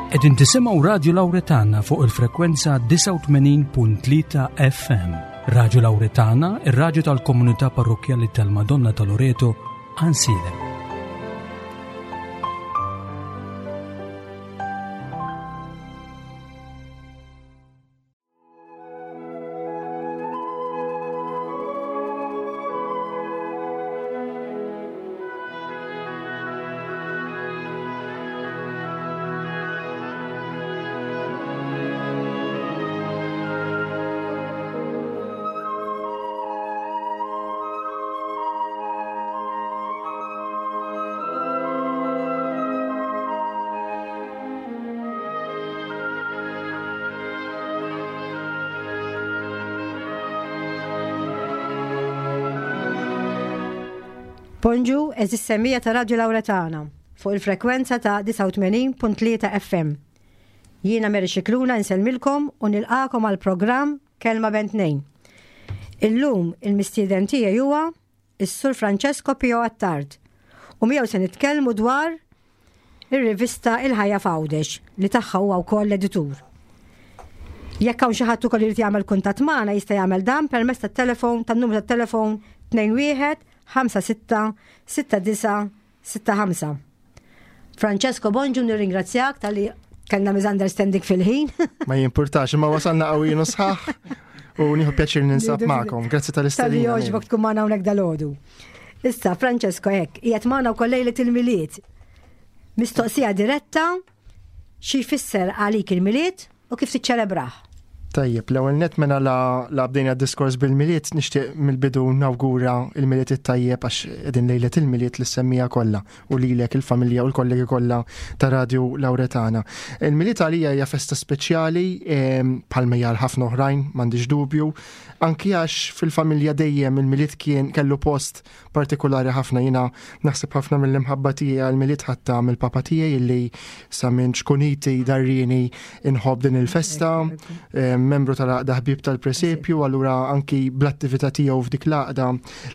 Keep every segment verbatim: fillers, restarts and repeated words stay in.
Qegħdin tisimgħu Radio Lauretana fuq il-frekwenza disgħa u tmenin punt tlieta F M. Radio Lauretana, ir-radju tal-komunità parrokkjali tal-Madonna ta' Loreto, Għajnsielem. Bonġu, eżis semija ta' Radio Lauretana fuq il-frekwenza ta' disgħa u tmenin punt tlieta F M. Jiena Mary Scicluna nsellmilkom u nilqakom għal programm Kelma Bejn Tnejn. Illum il-mistieden tiegħi huwa is-Sur Francesco Pio Attard u miegħu se nitkellmu dwar ir-rivista Il-Ħajja f'Għawdex li tagħha huwa wkoll l-editur. Jekk hawn xi ħadd ukoll irid jagħmel kuntatt magħna jista' jagħmel dan permezz tat-telefon tan-numru tat-telefon tnejn wieħed ħamsa sitta sitta disa sitta ħamsa. Francesco, bonġu, nirringrazzjak tal-li kellna misunderstanding fil-ħin. Ma jimpurtax, imma wasalna qawwin u sħaħ u nieħu pjaċir ninsab Nieħdu magħkom. Grazzi tal-istedina. Tal-li jogħġbok tkun magħna hawnhekk dalgħodu. Issa, Francesco, hekk, qiegħed magħna wkoll lejlet il-Milied. Mistoqsija diretta, xi jfisser għalik il-Milied u kif tiċċelebrah? Tajjeb, l-ewwel nett mela la, la bdejna d-diskors bil-Milied, nixtieq mill-bidu nawgura il-Milied it-tajjeb għax qegħdin lejlet il-Milied li semmija kollha u lilek il-familja u l-kollegi kollha ta' Radio Lauretana. Il-Milied għalija hija festa speċjali, ehm, bħalma hija għal ħafna oħrajn, m'għandix dubju, anki għax fil-familja dejjem il-Milied kien kellu post partikolari ħafna. Jiena naħseb ħafna mill-imħabba tiegħi għall-Milied ħadtha mill-papa tiegħi illi sa minn ċkuniti darrini inħobb din il-festa, ehm, membru tal-għaqda ħbieb tal-presepju, allura anki bl-attività tiegħu f'dik l-għaqda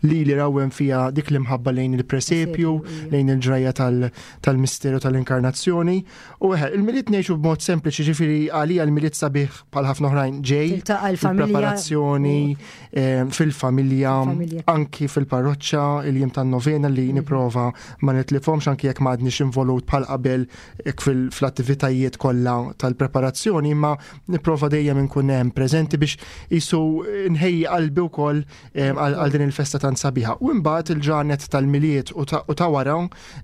li li rawwem fiha dik l-imħabba lejn il-presepju, lejn il-ġrajja tal-, tal-misteru tal-inkarnazzjoni. U eħe, il-Milied ngħixu b'mod sempliċi, ġifieri għalija l-Milied sabiħ bħal ħafna oħrajn ġej, Tiltaqa' l-familja. il-preparazzjoni, ehm, fil-familja, Fil-familja. anki fil-parroċċa, il-jiem tan-novena li Mhm. nipprova ma nitlifhomx anki jekk ma għadniex involut bħal qabel hekk fil-, fl-attivitajiet kollha tal-preparazzjoni, imma nipprova dejjem inkun hemm preżenti biex isu nħejji qalbi wkoll, ehm, għal, għal din il-festa tant sabiħa. U mbagħad il-ġranet tal-Milied u ta-, u ta' wara,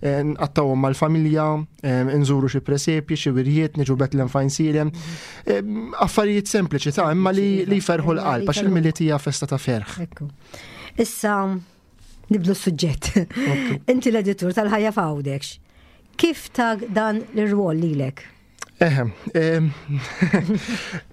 eh, nqattawhom mal-familja, ehm, inżuru xi presepji, xi wirjiet, niġu Betlem f'Għajnsielem. Ehm, affarijiet sempliċi ta' imma li, li jferħu l-qalb, għax il-Milied hija festa ta' ferħ. Ekku. Issa nibdlu s-suġġett. Ok. Inti l-editur tal-Ħajja f'Għawdex. Kif tag dan l-irwol lilek? Eħem, ehm,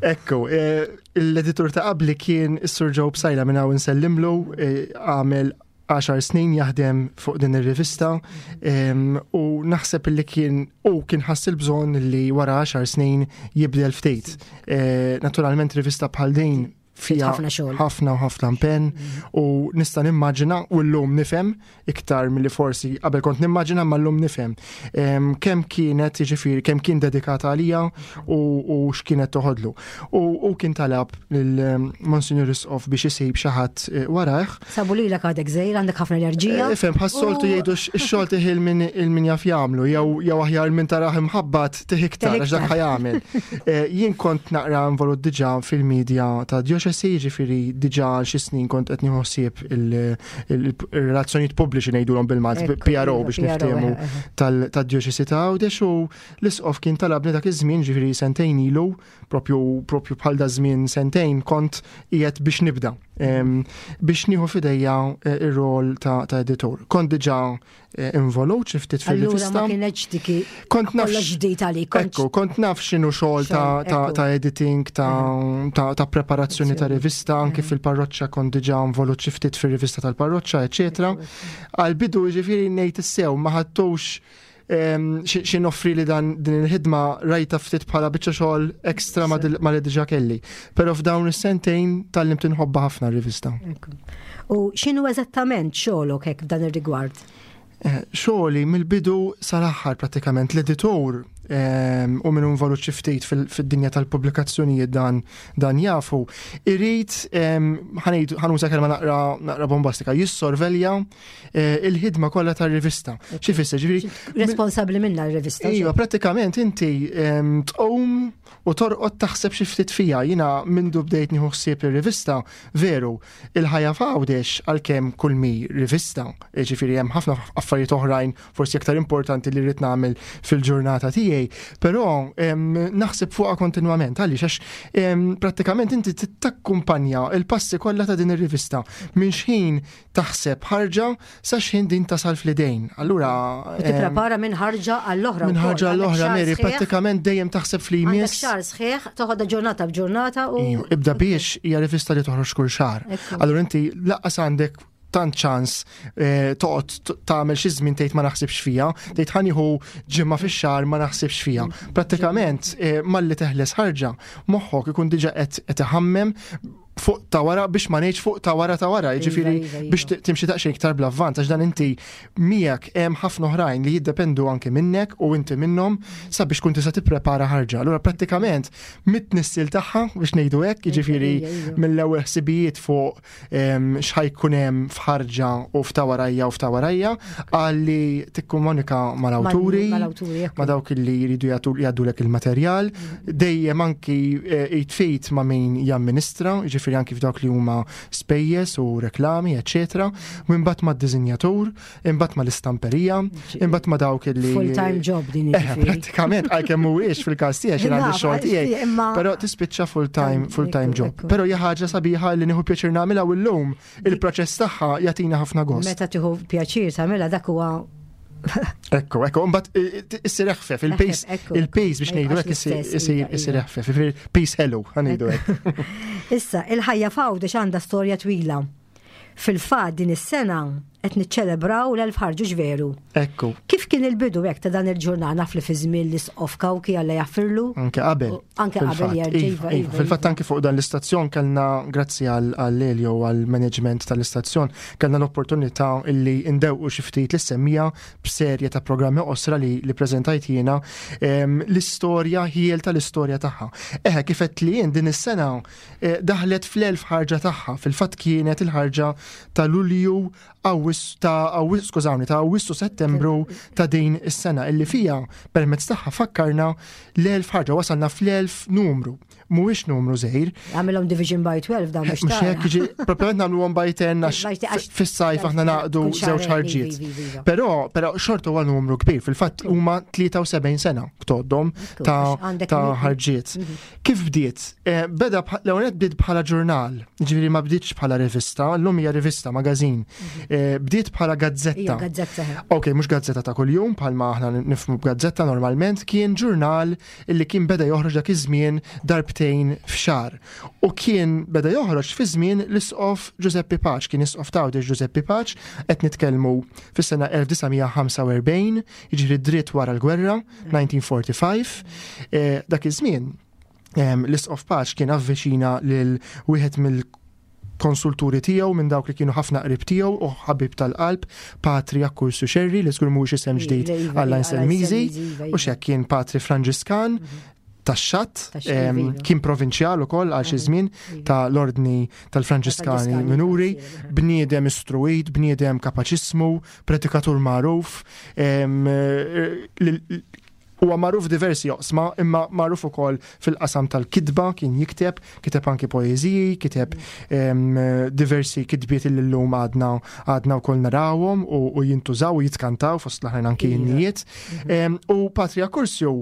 ekku, eh, l-editur ta' qabli kien is-Sur Joe Psaila minn hawn insellimlu, eh, għamel għaxar snin jaħdem fuq din ir-rivista, ehm, u naħseb li kien u kien ħass il-bżonn li wara għaxar snin jibdel ftit. Eh, naturalment rivista bħal din fija ħafna xogħol. ħafna u ħafna impenn u nista' nimmaġina u llum nifhem iktar milli forsi qabel kont nimmaġina, ma llum nifhem, ehm, kemm kienet, jiġifieri kemm kien dedikata għalija u, u x'kienet toħodlu. U, u kien talab lil, ehm, Monsignor Isqof biex isib xi ħadd, eh, warajh. Sabu lilek għadek żgħir, għandek ħafna enerġija. Eh, ifhem, bħas-soltu U- jgħidu x-, ix-xogħol tieħi il-min, il-min jaf jagħmlu, jew, jew aħjar min taraħ imħabbat tieħi iktar, għax dak ħajamel. Eh, jien kont naqra involut diġà fil-medja ta' djoċesi, ġifieri diġà għal xi snin kont qed nieħu ħsieb il-, il-, il-relazzjonijiet pubbliċi ngħidulhom bil-Malti, Ekku, P R O iva, biex P R O, niftehmu eħe, eħe. tal-, tad-djoċesi ta' Għawdex, u l-Isqof kien talabni dak iż-żmien, ġifieri sentejn ilu, propju, propju bħal da żmien sentejn kont qiegħed biex nibda, em, biex nieħu f'idejja, eh, ir-rol ta', ta' editur. Kont diġà, eh, involut xi ftit Allura ma fil-rivista. kienx diki Kont naf kollox ġdid għalik, kont Ekku, kont naf x'inhu xogħol ta', Xogħol, ta', ekku. ta' editing, ta', Mhm. ta', ta' preparazzjoni ta' Sì. rivista, anki Mhm. fil-parroċċa kont diġà involut xi ftit fir-rivista tal-parroċċa, eċetera. Għal-bidu ġifieri ngħid issew ma ħadtux, ehm, xi, xi noffri li dan din il-ħidma rajta ftit bħala biċċa xogħol ekstra ma dil-, ma li diġà kelli. Però f'dawn is-sentejn tgħallimt inħobbha ħafna r-rivista. Ekku. U x'inhu eżattament xogħolok hekk f'dan ir-rigward? Eh, xogħli mill-bidu sal-aħħar prattikament l-editur em, u min involut xi ftit fil- fid-dinja tal-pubblikazzjonijiet dan dan jafu, irid em, ħa ngħid- ħa nuża kelma naqra naqra bombastika, jissorvelja eh, il-ħidma kollha tar-rivista. Xi fisser, ġifieri Responsabbli minna r-rivista. Iva, pratikament inti em, tqum u torqod taħseb xi ftit fija. Jiena mindu bdejt nieħu ħsieb ir-rivista, veru, il-ħajja f'Għawdex għalkemm kull mi rivista, ġifieri hemm ħafna affarijiet oħrajn forsi aktar importanti li rrid nagħmel fil-ġurnata tiegħi, però em, naħseb fuqha kontinwament għaliex għax em, prattikament inti takkumpanja il-passi kollha ta' din ir-rivista minn xħin taħseb ħarġa sa xħin din tasal fl-idejn. Allura U tipprepara minn ħarġa għall-oħra. minn wkoll. ħarġa Għandek l-oħra, xahar Mary, sħiħ, prattikament dejjem taħseb fli Għandek jmiss. xahar sħiħ, toħodha ġurnata b'ġurnata u. Iju, Ibda biex hija rivista li toħroġ kull xahar. Ekku. Allura inti lanqas għandek tant ċans eh, toqgħod t- tagħmel xi żmien tgħid ma naħsibx fija, tgħid ħa nieħu ġimgħa fix-xahar ma naħsibx fija. Prattikament eh, malli teħles ħarġa, moħħok ikun diġà qed qed iħammem fuq ta' wara biex ma ngħidx fuq ta' wara ta' wara, jiġifieri Iva, iva, biex iva. t- timxi daqsxejn iktar bl-avvanz għax dan inti miegħek hemm ħafna oħrajn li jiddependu anke minnek u inti minnhom sabiex kun tista' tipprepara ħarġa. Allura prattikament mit-tnissil tagħha biex ngħidu hekk, jiġifieri Iva, iva. mill-ewwel ħsibijiet fuq em, x'ħajkun hemm f'ħarġa u f'ta' warajja u f'ta' warajja għalli tikkomunika mal-awturi, Mal-awturi, ekku. ma dawk li jridu jagħtu jgħaddulek il-materjal, dejjem anki eh, jitfejt ma' min jamministra, ġifieri anki f'dawk li huma spejjeż u reklami, eċetera, u imbagħad mad-diżinjatur, imbagħad mal-istamperija, imbagħad ma' dawk li Full-time job din Eh, jiġifieri. prattikament, għalkemm mhuwiex fil-każ tiegħi xi għandi Naf, xogħol tiegħi, imma- però tispiċċa full-time full-time Ekku, job. ekku. Però hija ħaġa sabiħa li nieħu pjaċir nagħmilha u llum il-proċess tagħha jagħtina ħafna gost. Meta tieħu pjaċir tagħmilha dak huwa Ekku, ekku, mbagħad issir eħfef, il-pace, Eħfef, ekku, il-pace biex ma ngħidu jibqax hekk isir l-istess, isir iva, isir iva. eħfef, jiġifieri pace hello, ħa ngħidu hekk. Issa, il-ħajja f'Għawdex għandha storja twila. Fil-fatt din is-sena qed niċċelebraw l-elf ħarġu veru. Ekku, Kif kien il-bidu hekk ta' dan il-ġurnal naf li fi żmien l-isqof Kawki Alla jaħfirlu? anke qabel. U anke qabel fil-fatt. jerġa' Iva, iva, iva. iva, Fil-fatt iva. anke fuq dan l-istazzjon kellna, grazzi għal Elio għal-management tal-istazzjon, kellna l-opportunità illi ndewqu xi ftit lis-semmiegħa b'serje ta' programmi qosra li, li preżentajt jiena em, l-istorja ħiel tal-istorja tagħha. Eħe, kif qed li jien din is-sena eh, daħlet fl-elf ħarġa tagħha. Fil-fatt kienet il-ħarġa ta' Lulju Awwissu ta' Awwissu, skużawni, ta' Awwissu Settembru ta' din is-sena illi fija permezz tagħha fakkarna l-elf ħarġa wasalna fl-elf numru. Mhuwiex numru żgħir, Għamilhom division by twelve dan biex mhux tara. hekk jiġi propjament nagħmluhom by ten għax By ten, għax- fis-sajf aħna naqdu Kull xahar, żewġ ħarġiet. iva, iva, iva. Però però xorta huwa numru kbir, fil-fatt huma tlieta u sebgħin sena ktoddhom Ekku, ta' għax għandek ta' mi- ħarġiet. Kif bdiet? Eh, Beda bħ- l-ewwel nett bdiet bħala ġurnal, ġifieri ma bdietx bħala rivista, llum hija rivista, magazin. Eh, Bdiet bħala gazzetta. Hija gazzetta. Ok, mhux gazzetta ta' kuljum, bħalma aħna nifhmu b'gazzetta normalment, kien ġurnal illi kien beda joħroġ dak iż-żmien darbtejn f'xahar. U kien beda joħroġ fi żmien l-isqof Giuseppe Pace, kien isqof ta' Għawdex Giuseppe Pace, qed nitkellmu fis-sena elf disa' mija ħamsa u erbgħin, jiġifieri dritt wara l-gwerra, elf disa' mija ħamsa u erbgħin. Eh, dak iż-żmien em, l-isqof Pace kien avviċina lil wieħed mill konsulturi tiegħu minn dawk li kienu ħafna qrib tiegħu u ħabib tal-qalb, Patri Akkursu Xerri, li żgur mhuwiex isem ġdid Iva, iva, għalla iva, Nselmiżi, iva, u iva. xek kien patri Franġiskan tax-xatt, Tax-xatt, em, iva. kien provinċjal ukoll għal xi żmien ta' l-ordni tal-Franġiskani Franġiskani, Minuri, iva. bniedem istruit, bniedem kapaċismu, predikatur magħruf, em, eh, li- huwa magħruf diversi oqsma, imma magħruf ukoll fil-qasam tal-kitba, kien jikteb, kiteb anki poeżiji, kiteb em, diversi kitbiet li llum għadna għadna wkoll narawhom u, u jintużaw u jitkantaw fost l-aħrajn anki Iva. innijiet. Em, U Patri Akkursju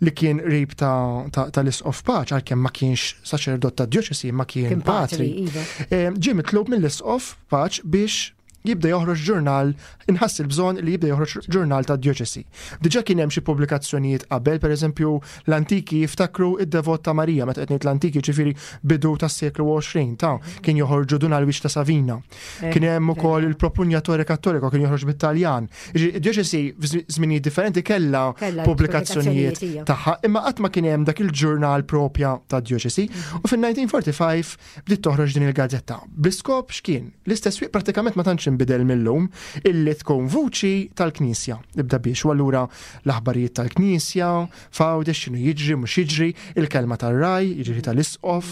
li kien qrib ta' ta- tal-Isqof Pace, għalkemm ma kienx saċerdot ta' djoċesi, ma kien Kien patri. patri, iva. Em, Ġie mitlub mill-Isqof Pace biex jibda joħroġ ġurnal, inħass il-bżonn li jibda joħroġ ġurnal ta' djoċesi. Diġà kien hemm xi pubblikazzjonijiet qabel, pereżempju l-antiki jiftakru id-Devot ta' Marija, meta qed ngħid l-antiki ġifieri bidu tas-seklu għoxrin ta' kien joħorġu Dun Alwiġ ta' Savina. Kien hemm ukoll il-Propugnatore Cattolico kien joħroġ bit-Taljan. Id-djoċesi f'żminijiet differenti kellha Kellha pubblikazzjonijiet pubblikazzjonijiet, ija. tagħha, imma qatt ma kien hemm dak il-ġurnal propja ta' djoċesi. U fil-elf disa' mija ħamsa u erbgħin bdiet toħroġ din il-gazzetta. Bl-iskop x'kien? L-istess wieq pratikament ma tantx tantx inbidel millum, illi tkun vuċi tal-Knisja. Ibda biex, u allura l-aħbarijiet tal-Knisja, f'Għawdex, x'inhu jiġri, mhux jiġri, il-kelma tar-ragħaj, jiġri tal-isqof,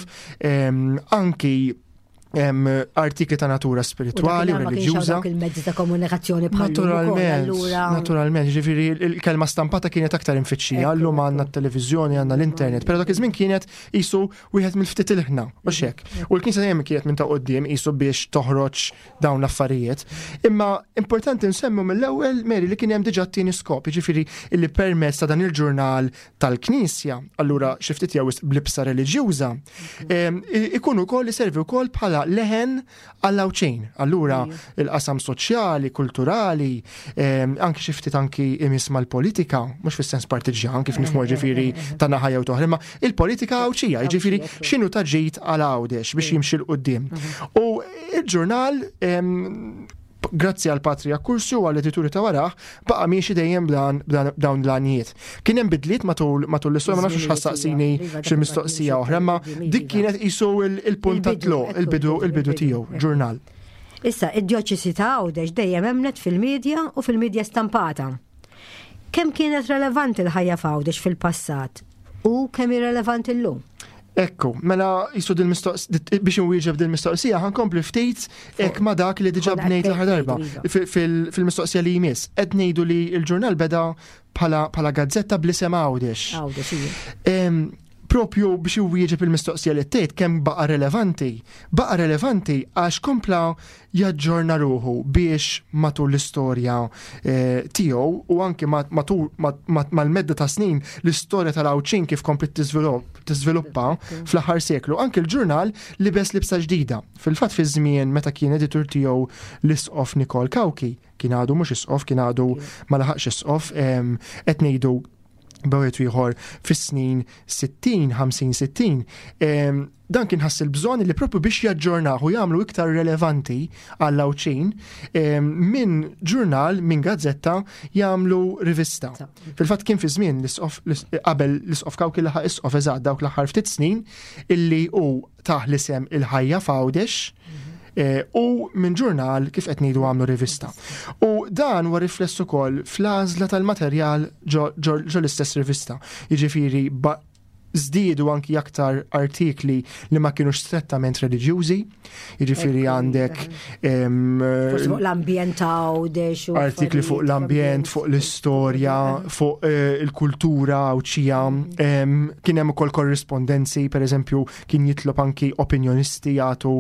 anki artikli ta' natura spiritwali u reliġjuża. Il-mezzi ta' komunikazzjoni bħal Naturalment, naturalment, ġifieri il-kelma stampata kienet aktar imfittxija, llum għandna t-televiżjoni, għandna l-internet, però dak iż-żmien kienet qisu wieħed mill-ftit ilħna, u xek. U l-Knisja dejjem kienet minn ta' quddiem qisu biex toħroġ dawn l-affarijiet. Imma importanti nsemmu mill-ewwel, Mary, li kien hemm diġà t-tieni skop, ġifieri illi permezz ta' dan il-ġurnal tal-Knisja, allura xi ftit jew b'libsa reliġjuża, ikun ukoll iservi wkoll bħala leħen għall-Għawdxin. Allura il-qasam soċjali, kulturali, anki xi ftit anki imiss mal-politika, mhux fis-sens partiġjan kif nifhmu ġifieri ta' naħa jew toħra, imma il-politika Għawdxija, ġifieri x'inhu ta' ġid għal Għawdex biex jimxi 'l quddiem. U il-ġurnal, grazzi għal Patri Accursio u għall edituri ta' warah, baqa' miexi dejjem b'dawn l-għanijiet. Kien hemm bidliet matul matul l-istorja, ma nafx x'ħa ssaqsini xi mistoqsija oħra, ma dik kienet qisu il-punt ta' tluq, il-bidu il-bidu tiegħu, ġurnal. Issa, id-djoċesi ta' Għawdex dejjem emnet fil-medja u fil-medja stampata. Kemm kienet relevanti l-ħajja f'Għawdex fil-passat u kemm hi relevanti llum? Ekku, mela qisu biex nwieġeb dil-mistoqsija, ħa nkompli ftit ek ma dak li diġa bnejt l-aħħar darba. Fil-mistoqsija li jmiss, qed ngħidu li l-ġurnal beda bħala gazzetta bl-isem Għawdex. Għawdex, ija. Propju biex iwieġeb il-mistoqsija li tgħid kemm baqa' relevanti. Baqa' relevanti għax kompla jaġġorna ruħu biex matul l-istorja tiegħu u anke matul mal-medda ta' snin l-istorja tal-Għawdxin kif komplet tiżviluppa fl-aħħar seklu. Anke l-ġurnal libes libsa ġdida. Fil-fatt fi żmien meta kien editur tiegħu l-isqof Nikol Cauchi, kien għadu mhux isqof, kien għadu ma laħaqx isqof, qed ngħidu b'wieħed ieħor fis-snin sittin, ħamsin, sittin, dan kien ħass il-bżonn li propju biex jaġġornahu u jagħmlu iktar relevanti għall-Għawdxin, minn ġurnal, minn gazzetta jagħmlu rivista. Fil-fatt kien fi żmien l-isqof, qabel l-isqof Cauchi laħaq isqof eżatt dawk l-aħħar ftit snin illi hu tah l-isem il-ħajja f'Għawdex, u minn ġurnal kif qed ngħidu għamlu rivista. U dan huwa rifless ukoll fl-għażla tal-materjal ġo l-istess rivista. Jiġifieri żdiedu anki aktar artikli li ma kienux strettament reliġjużi, jiġifieri għandek Forsi fuq l-ambjent Għawdex u artikli fuq l-ambjent, fuq l-istorja, fuq il-kultura Għawdxija, kien hemm ukoll korrispondenzi, per eżempju, kien jitlob anki opinjonisti jagħtu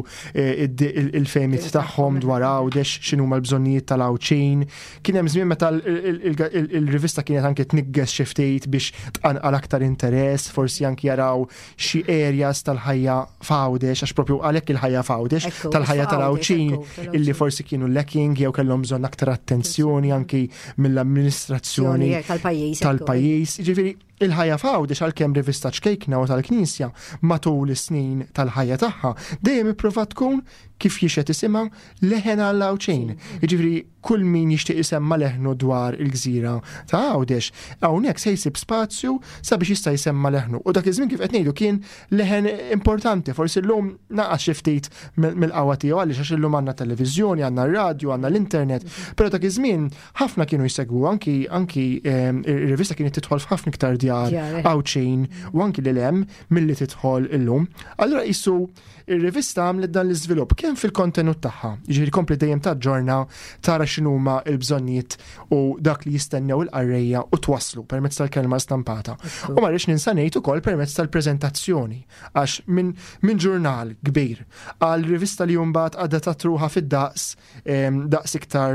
il-fehmiet tagħhom dwar Għawdex, x'inhuma l-bżonnijiet tal-Għawdxin. Kien hemm żmien meta il-rivista kienet anki tnigges xi ftit biex tqanqal aktar interess, forsi anki jaraw xi areas tal-ħajja f'Għawdex, għax propju għalhekk il-ħajja f'Għawdex, tal-ħajja tal-Għawdxin illi forsi kienu lacking jew kellhom bżonn aktar attenzjoni anki mill-amministrazzjoni tal-pajjiż. Tal-pajjiż. Jiġifieri il-ħajja f'Għawdex għalkemm rivista ċkejkna u tal-Knisja matul is-snin tal-ħajja tagħha dejjem ipprovat tkun kif jixhed isimha leħen għall-Għawdxin. Jiġifieri kull min jixtieq isemma leħnu dwar il-gżira ta' Għawdex, hawnhekk se jsib spazju sabiex jista' jsemma leħnu. U dak iż-żmien kif qed ngħidu kien leħen importanti, forsi llum naqas xi ftit mill-qawwa tiegħu għaliex għax illum għandna televiżjoni, għandna r-radju, għandna l-internet, però dak iż-żmien ħafna kienu jsegwu anki anki ir-rivista kienet tidħol f'ħafna iktar djar Għawdxin u anki lil hemm milli tidħol illum. Allura qisu ir-rivista għamlet dan l-iżvilupp kemm fil-kontenut tagħha, jiġifieri kompli dejjem taġġorna tara x'inhuma l-bżonnijiet u dak li jistennew il-qarrejja u twasslu permezz tal-kelma stampata. U ma rridx ninsa ngħid ukoll permezz tal-preżentazzjoni, għax minn min ġurnal kbir għal rivista li mbagħad għadha truħa fid-daqs daqs iktar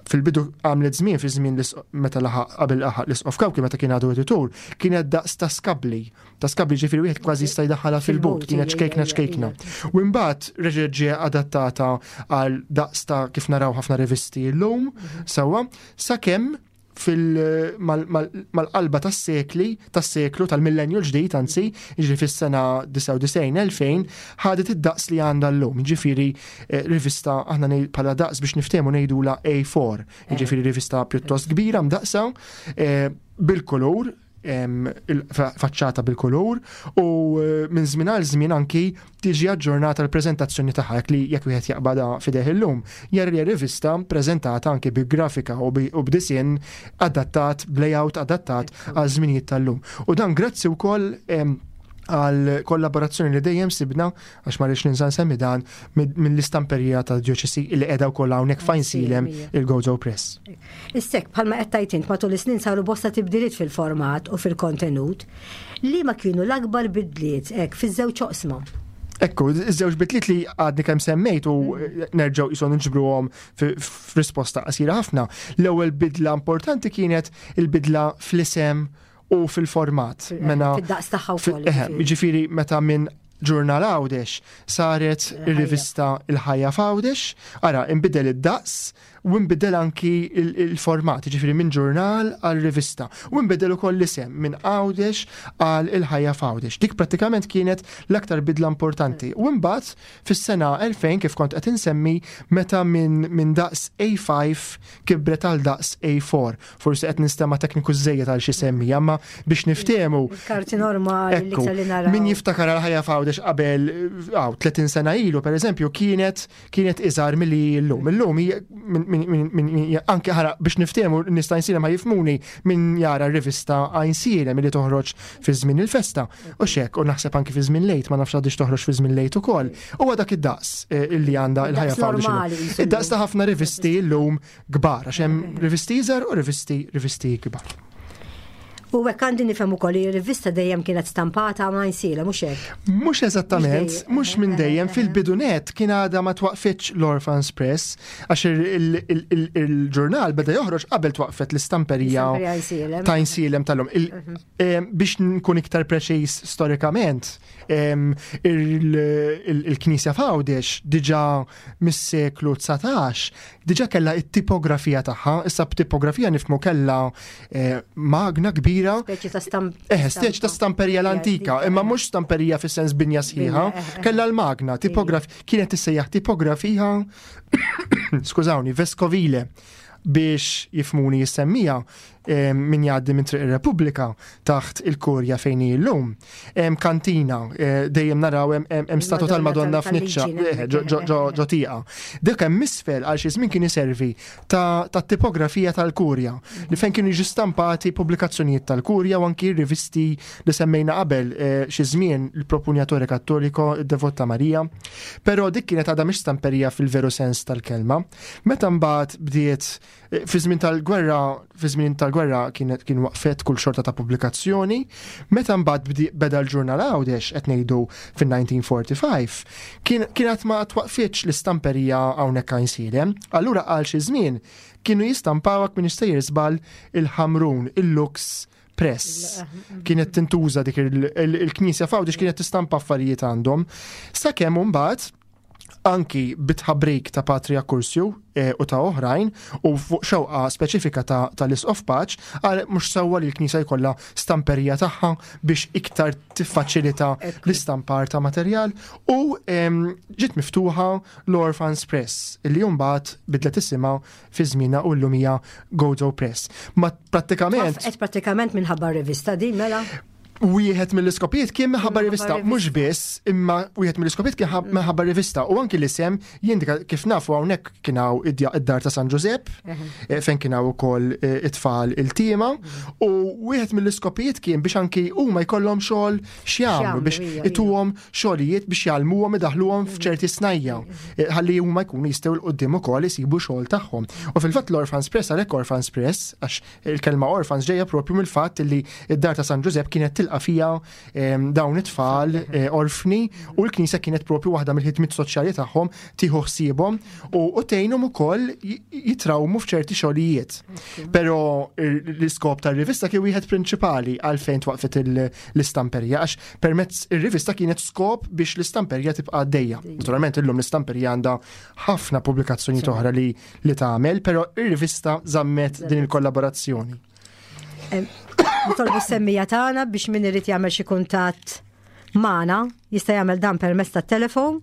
fil-bidu għamlet żmien fi żmien meta laħaq qabel laħaq l-isqof Cauchi meta kien għadu editur, kienet daqs ta' skabli. Ta' skabli ġifieri wieħed kważi jista' jdaħħalha fil-but, kienet ċkejkna ċkejkna. U mbagħad reġgħet ġie adattata għal daqs ta' kif naraw ħafna rivisti llum, sewwa, sakemm mal-qalba tas-sekli, tas-seklu, tal-millenju l-ġdid, anzi, jiġri fis-sena disgħa u disgħin, elfejn, ħadet id-daqs li għandha llum. Jiġifieri rivista aħna bħala daqs biex niftehmu ngħidula A four, jiġifieri rivista pjuttost kbira mdaqsa, bil-kulur, Faċċata bil-kulur u eh, minn żmien għal żmien anki tiġi aġġornata l-preżentazzjoni tagħha, li jekk wieħed jaqbadha f'idejh illum, jara li rivista preżentata anki bi grafika u b'disinn adattat, b'layout adattat għal żminijiet tal-lum. U dan grazzi wkoll għal kollaborazzjoni li dejjem sibna, għax ma rridx ninsa nsemmi dan, mill-istamperija ta' djoċesi li qiegħda wkoll hawnhekk f'Għajnsielem, il-Gozo Press. Issa, bħalma qed tgħid int, matul is-snin saru bosta tibdiliet fil-format u fil-kontenut. Li ma kienu l-akbar bidliet hekk fiż-żewġ oqsma? Ekku, iż-żewġ bidliet li għadni kemm semmejt u nerġgħu jisu niġbruhom f'risposta qasira ħafna. L-ewwel bidla importanti kienet il-bidla fl-isem u fil-format. Mena fid-daqs tagħha wkoll. Ġifieri meta minn Ġurnal Għawdex saret ir-rivista Il-Ħajja f'Għawdex, ara, inbidel id-daqs u nbidel anki il-format, ġifieri minn ġurnal għal rivista. U nbidel ukoll l-isem minn Għawdex għal Il-Ħajja f'Għawdex. Dik prattikament kienet l-aktar bidla importanti. U mbagħad fis-sena elfejn, kif kont qed insemmi, meta minn min daqs A ħamsa kibret għal daqs A erba'. Forsi qed nistema' tekniku żejjed għal xi semmi, imma biex niftehmu. Karti normali li naraw. Min jiftakar għal Ħajja f'Għawdex qabel tletin sena ilu, per eżempju, kienet kienet iżgħar milli llum. Illum anke ħara biex niftehmu, nista' Għajnsielem ma jifhmuni, min jara rivista Għajnsielem li toħroġ fi żmien il-festa. U xek, u naħseb anke fi żmien l-Għid, ma nafx għadix toħroġ fi żmien l-Għid ukoll. Huwa dak id-daqs eh, illi għandha Il-Ħajja f'Għawdex. Id-daqs ta' ħafna rivisti llum kbar, għax hemm rivisti iżgħar u rivisti rivisti kbar. U hekk għandi nifhem ukoll li r-rivista dejjem kienet stampata Għajnsielem, mhux hekk? Mhux eżattament, mhux minn dejjem. Fil-bidu nett kien għadha ma twaqfitx l-Orphans Press, għax il-ġurnal beda joħroġ qabel twaqfet l-istamperija ta' Għajnsielem tal-lum. Mhm. Biex nkun iktar preċiż storikament, il-Knisja f'Għawdex diġà mis-seklu dsatax diġà kellha it-tipografija tagħha, issa b'tipografija nifhmu kellha eh, magna kbira. Speċi ta' stamp. Eh, speċi ta' stamperija l-antika, imma mhux stamperija fis-sens binja sħiħa, eh, eh, kellha l-magna, tipograf, kienet tissejjaħ tipografija, skużawni, veskovile. Biex jifhmuni s-semmiegħa, min jgħaddi minn Triq ir-Repubblika taħt il-Kurja fejn hi llum. Hemm kantina, eh, dejjem naraw hemm statwa tal-Madonna f'niċċa eh, ġo tieqa. Dik hemm isfel għal xi żmien kien iservi ta' tipografija tal-Kurja li fejn kienu jiġu stampati pubblikazzjonijiet tal-Kurja u anki rivisti li semmejna qabel, eh, xi żmien il-Propugnatore Cattolico, id-Devota Maria. Però dik kienet għadha mhix stamperija fil-veru sens tal-kelma. Meta mbagħad bdiet fi żmien tal-gwerra, fi żmien tal-gwerra kienet kien waqfet kull xorta ta' pubblikazzjoni. Meta mbagħad beda l-Ġurnal Għawdex, qed ngħidu fin-elf disa' mija u erbgħa u erbgħin, kien kienet ma twaqfitx l-istamperija hawnhekk Għajnsielem. Allura għal xi żmien kienu jistampaw, m'iniex sejjer żball, il-Ħamrun, il-Lux Press. Kienet tintuża dik il-knisja f'Għawdex, kienet tistampa affarijiet għandhom. Sakemm mbagħad anki bit-tħabrik ta' Patri Akkursju eh, u ta' oħrajn u fuq xewqa speċifika tal-Isqof Pace għal mhux sewwa li l-Knisja jkollha stamperija tagħha biex iktar tiffaċilita l-istampar ta' materjal, u ġiet miftuħa l-Orphans Press illi mbagħad bidlet isimha fi żmienha u llum hija Gozo Press. Ma prattikament Qed prattikament minħabba rivista din mela? Wieħed mill-iskopijiet kien minħabba rivista, mhux biss, imma wieħed mill-iskopijiet kien mm. minħabba rivista u anki l-isem jindika, kif nafu, hawnhekk kien hawn id-dar ta' San Ġużepp, eh, fejn kien hawn ukoll eh, it-tfal il-tima, u wieħed mill-iskopijiet kien biex anki huma jkollhom xogħol x'jagħmlu, biex ituhom xogħlijiet biex jgħallmuhom, idaħluhom f'ċerti snajja, eh, ħalli huma jkunu jistgħu 'l quddiem ukoll isibu xogħol tagħhom. U fil-fatt l-Orphans Press għalhekk Orphans Press, għax il-kelma orphans ġejja propju mill-fatt li id-dar ta' San Ġużepp kienet tilqa' fija dawn it-tfal eh, orfni u l-Knisja kienet propju waħda mill-ħidmiet soċjali tagħhom tieħu ħsiebhom u tgħinhom ukoll jitrawmu f'ċerti xogħlijiet. Però l-iskop tar-rivista kien wieħed prinċipali għalfejn twaqfet l-istamperija, għax permezz ir-rivista kienet skop biex l-istamperija tibqa' għaddejja. Naturalment illum l-istamperija għandha ħafna pubblikazzjoni oħra li li tagħmel, però ir-rivista żammet din il-kollaborazzjoni. Nitolbu s-semmiegħa tagħna biex min irid jagħmel xi kuntatt magħna jista' jagħmel dan permezz tat-telefon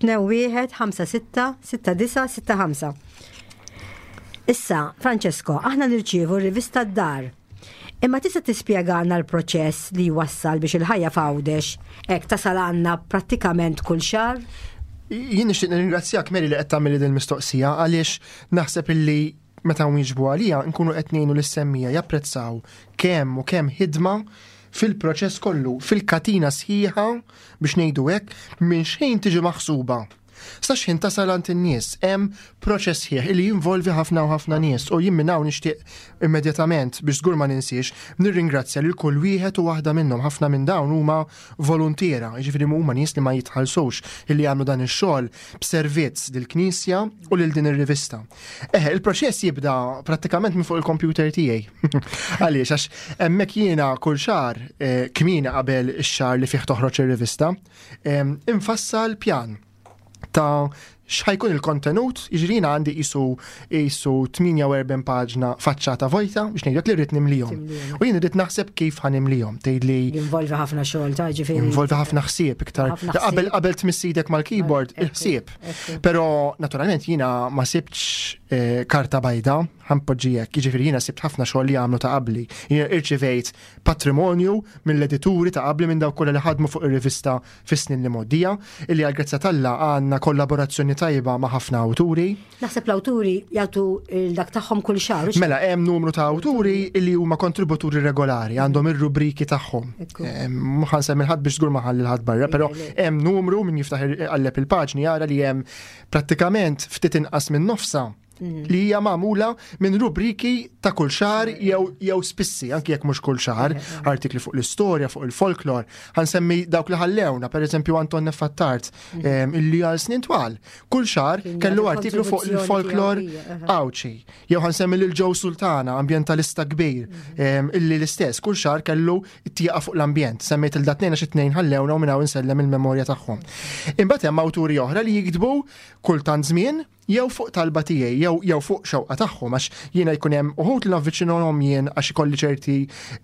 tnejn wieħed ħamsa sitta sitta disgħa sitta ħamsa. Issa, Francesco, aħna nirċievu rivista d-dar. Imma tista' tispjegana l-proċess li wassal biex il-Ħajja f'Għawdex hekk tasal għandna prattikament kull xahar? Jien nixtieq nirringrazzjak, Mary, li qed tagħmel din il-mistoqsija, għaliex naħseb illi meta nwieġbu għalija nkunu qed ngħinu lis-semmiegħa japprezzaw kemm u kemm ħidma fil-proċess kollu, fil-katina sħiħa, biex ngħidu hekk, minn xejn tiġi maħsuba sa xħin tasal għand in-nies. Hemm proċess sħiħ li jinvolvi ħafna u ħafna nies u jien minn hawn nixtieq immedjatament, biex żgur ma ninsiex, nirringrazzja lil kull wieħed u waħda minnhom. Ħafna minn dawn huma voluntiera, jiġifieri huma nies li ma jitħallsux, illi jagħmlu dan ix-xogħol b'servizz lill-Knisja u lil din ir-rivista. Eħe, il-proċess jibda prattikament minn fuq il-computer tiegħi. Għaliex? Għax hemmhekk jiena kull xahar, eh, kmieni qabel ix-xahar li fih toħroġ ir-rivista, infassal pjan ta' x'ħa jkun il-kontenut. Jiġri għandi qisu qisu tmienja u erbgħin paġna faċċata vojta, biex ngħidlek, li rrid nimlihom. U jien rrid naħseb kif ħa nimlihom. Tgħidli Jinvolvi ħafna xogħol ta' ġifieri. Jinvolvi ħafna ħsieb iktar. Qabel qabel tmiss idek mal-keyboard, il-ħsieb. Però naturalment jiena ma sibtx eh, karta bajda, ħa npoġġi hekk, jiġifieri jiena sibt ħafna xogħol li għamlu ta' qabli. Jiena irċivejt patrimonju mill-edituri ta' qabli, minn dawk kollha li ħadmu fuq ir-rivista fis-snin li mgħoddija, illi għal t'Alla għandna kollaborazzjoni tajba ma' ħafna awturi. Naħseb l-awturi jagħtu dak tagħhom kull xahar. Mela, hemm numru ta' awturi illi huma kontributuri regolari, għandhom ir-rubriki tagħhom. Mhux ħa ħadd biex żgur ma ħalli ħadd barra, però hemm numru, min jiftaħ qalleb il-paġni jara li hemm prattikament ftit inqas minn nofsa mm. li hija magħmula minn rubriki ta' kull xahar jew jew spissi, anki jekk mhux kull xahar, artikli fuq l-istorja, fuq il-folklor. Ħa nsemmi dawk li ħallewna, pereżempju Anton Neffattart, mm. illi għal snin twal. Kull xahar kellu artiklu fuq il-folklor Għawdxi. Jew ħa nsemmi lil Joe Sultana, ambjentalista kbir, mhm. illi l-istess, kull xahar kellu tieqa fuq l-ambjent. Semmejt lil dat-tnejn għax it-tnejn ħallewna u minn hawn insellem il-memorja tagħhom. Imbagħad hemm awturi oħra li jiktbu kultant żmien jew fuq talba tiegħi jew jew fuq xewqa tagħhom, għax jiena jkun hemm uħud li navviċinhom jien għax ikolli ċerti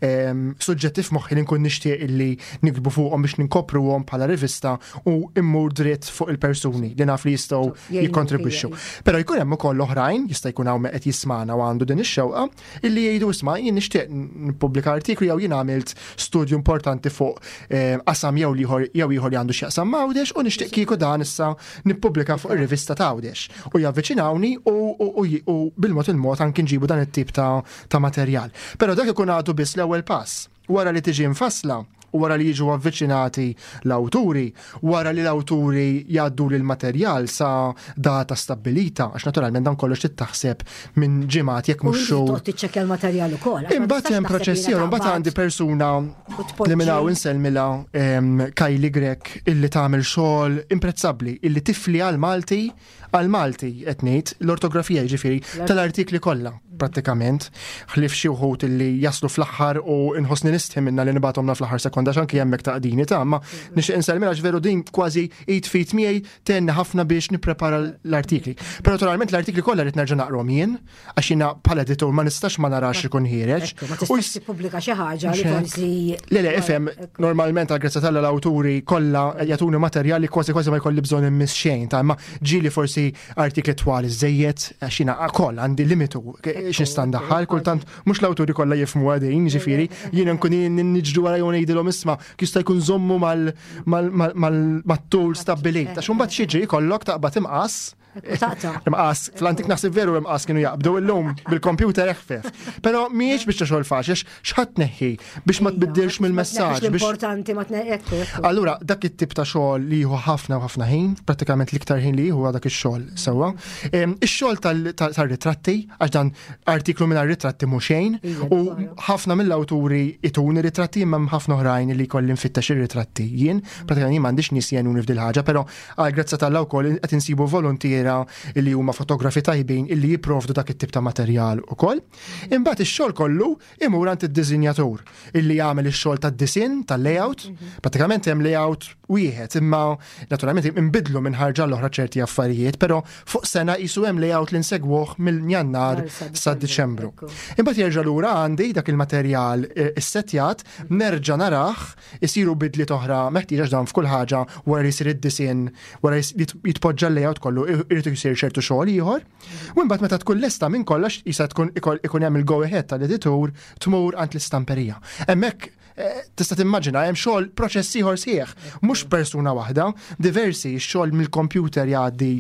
ehm, suġġetti f'moħħi li nkun nixtieq illi nikbu fuqhom biex ninkopruhom bħala rivista u immur dritt fuq il-persuni li naf li jistgħu jikkontribwixxu. Però jkun hemm ukoll oħrajn, jista' jkun hawn qed jismana u għandu din ix-xewqa, illi jgħidu: "Isma', jien nixtieq nippubblika artiklu jew jien għamilt studju importanti fuq ehm, qasam jew ieħor jew ieħor li għandu x'jaqsam m'Għawdex u nixtieq kieku dan issa nippubblika fuq ir-rivista ta' Għawdex." U javviċinawni u, u bil-mod il-mod anki nġibu dan it-tip ta', ta materjal. Però dak ikun għadu biss l-ewwel pass. Wara li tiġi mfassla u wara li jiġu avviċinati l-awturi, wara li l-awturi jgħaddu l-materjal sa data stabbilita, għax naturalment dan kollox taħseb minn ġimgħat jekk mhux xhur. Tiċċekkja l-materjal ukoll. Imbagħad hemm proċess ieħor, imbagħad għandi persuna li minn hawn insellmilha, Kylie Grech, illi tagħmel xogħol imprezzabbli, illi tifli għal Malti għal Malti qed ngħid l-ortografija, jiġifieri tal-artikli kollha prattikament, ħlief xi wħud illi jaslu fl-aħħar u nħossni nistħi minna li nibgħathomna fl-aħħar sekonda, x'anki hemmhekk taqdini ta' ma nixtieq insellmilha għax veru din kważi id f'id miegħi tgħinni ħafna biex nipprepara l-artikli. Però naturalment l-artikli kollha rrid nerġa' naqrahom jien, għax jiena bħala editur ma nistax ma narax ikun ħiereġ. Ma tistax tippubblika xi ħaġa li forsi. Le, le, ifhem, normalment għal grazzja t'Alla l-awturi kollha jagħtuni materjali, kważi kważi ma jkolli bżonn immiss xejn, ta' ma ġieli forsi artikli twal iżejjed, għax jiena koll għandi limitu x'nista' ndaħħal, kultant mhux l-awturi kollha jifhmu għadin, ġifieri jiena nkun niġru wara jew ngħidilhom: "Isma', jista' jkun żommu mal-tul stabbilit." Għax imbagħad xiġri jkollok taqbad imqas. Imqas, fl-antik naħseb veru imqas kienu jaqbdu, illum bil-computer eħfef. Però mhijiex biex xogħol faċli, x'ħa tneħħi biex ma tbiddilx mill-messaġġ. Importanti ma tneħħi. Allura dak it-tip ta' xogħol li jieħu ħafna u ħafna ħin, prattikament l-iktar ħin li jieħu dak ix-xogħol sewwa. Ix-xogħol tar-ritratti, għax dan artiklu minn ritratti mhux xejn, u ħafna mill-awturi jtuni ritratti, imma ħafna oħrajn li jkolli nfittex ir-ritratti. Jien pratikament jien m'għandix nies jgħinuni f'dil ħaġa, però għal grazzja t'Alla wkoll qed insibu volontiera illi huma fotografi tajbin illi jipprovdu dak it-tip ta' materjal ukoll. Imbagħad ix-xogħol kollu imur għand id-disinjatur illi jagħmel ix-xogħol tad-disinn, tal-layout. Pratikament hemm layout wieħed, imma naturalment inbidlu minn ħarġa l-oħra ċerti affarijiet, però fuq sena qisu hemm layout li nsegwuh mill-Jannar sa Diċembru. Imbagħad jerġa' lura għandi dak il-materjal eh, issettjat, nerġa' narah, isiru bidliet oħra meħtieġa dan f'kull ħaġa wara li jsir id-disinn, wara li jitpoġġa l-layout kollu, irid isir ċertu xogħol ieħor. U mbagħad meta tkun lesta minn kollox jista' tkun ikun hemm il-go ahead tal-editur, tmur għand l-istamperija. Hemmhekk eh, tista' timmaġina hemm xogħol, proċess ieħor sħiħ, mhux persuna waħda, diversi, xogħol mill-computer jgħaddi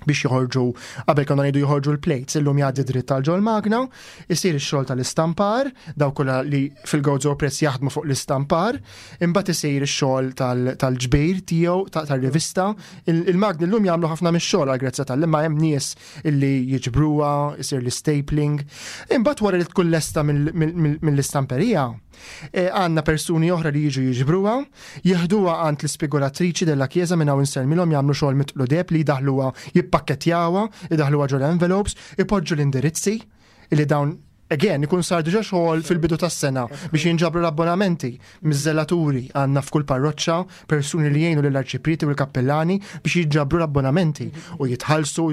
biex joħorġu, qabel konna ngħidu joħorġu l-plates, illum jgħaddi dritt tal ġol magna, isir ix-xogħol tal-istampar, daw kollha li fil-Gozo Press jaħdmu fuq l-istampar, imbagħad isir ix-xogħol tal-ġbir tiegħu tal-rivista. Il-magni llum jagħmlu ħafna mix-xogħol għal grazzja tal-imma hemm nies illi jiġbruha, isir l-stapling. Imbagħad wara li tkun lesta mill-istamperija, e, għandna persuni oħra li jiġu jiġbruha, jeħduha għand l-ispigolatriċi della Chiesa, minn hawn insellmilhom, jagħmlu xogħol mitqlu deheb li jdaħluha, jippakketjawha, idaħluha ġol envelopes, ipoġġu l-indirizzi li dawn again ikun sar diġà xogħol fil-bidu tas-sena biex jinġabru l-abbonamenti miż-żelaturi. Għandna f'kull parroċċa persuni li jgħinu lill-arċiprieti u l-kappellani biex jinġabru l-abbonamenti u jitħallsu,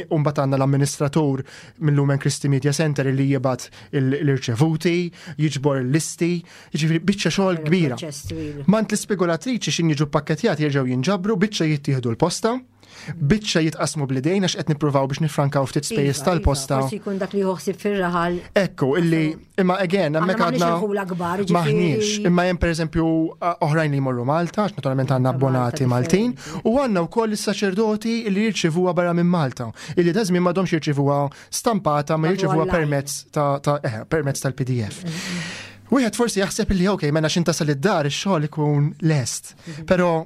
u mbagħad għandna l-amministratur mill-Lumen Christi Media Center li jibgħat l-irċevuti, jiġbor l-listi, jiġifieri biċċa xogħol kbira. Mingħand l-ispigolatriċi xin jiġu pakketjati jerġgħu jinġabru, biċċa jittieħdu l-posta, biċċa jitqasmu bl-idejn għax qed nippruvaw biex nifrankaw ftit spejjeż Iva, tal-posta. Iva, forsi jkun dak li joħsib fir-raħal. Ekku, illi imma again, hemmhekk Aħna m'għandniex għadna irħula kbar, ġifieri- maħniex, imma hemm pereżempju oħrajn li jmorru Malta, għax naturalment għandna abbonati Malta Maltin, u għandna wkoll is-saċerdoti li jirċivuha barra minn Malta, illi da żmien m'għadhomx jirċivuha stampata, ma Għadu jirċivuha online. permezz ta' ta' eh, permezz tal-P D F. Wieħed forsi jaħseb li ok, mela xin tasal id-dar ix-xogħol ikun lest. Però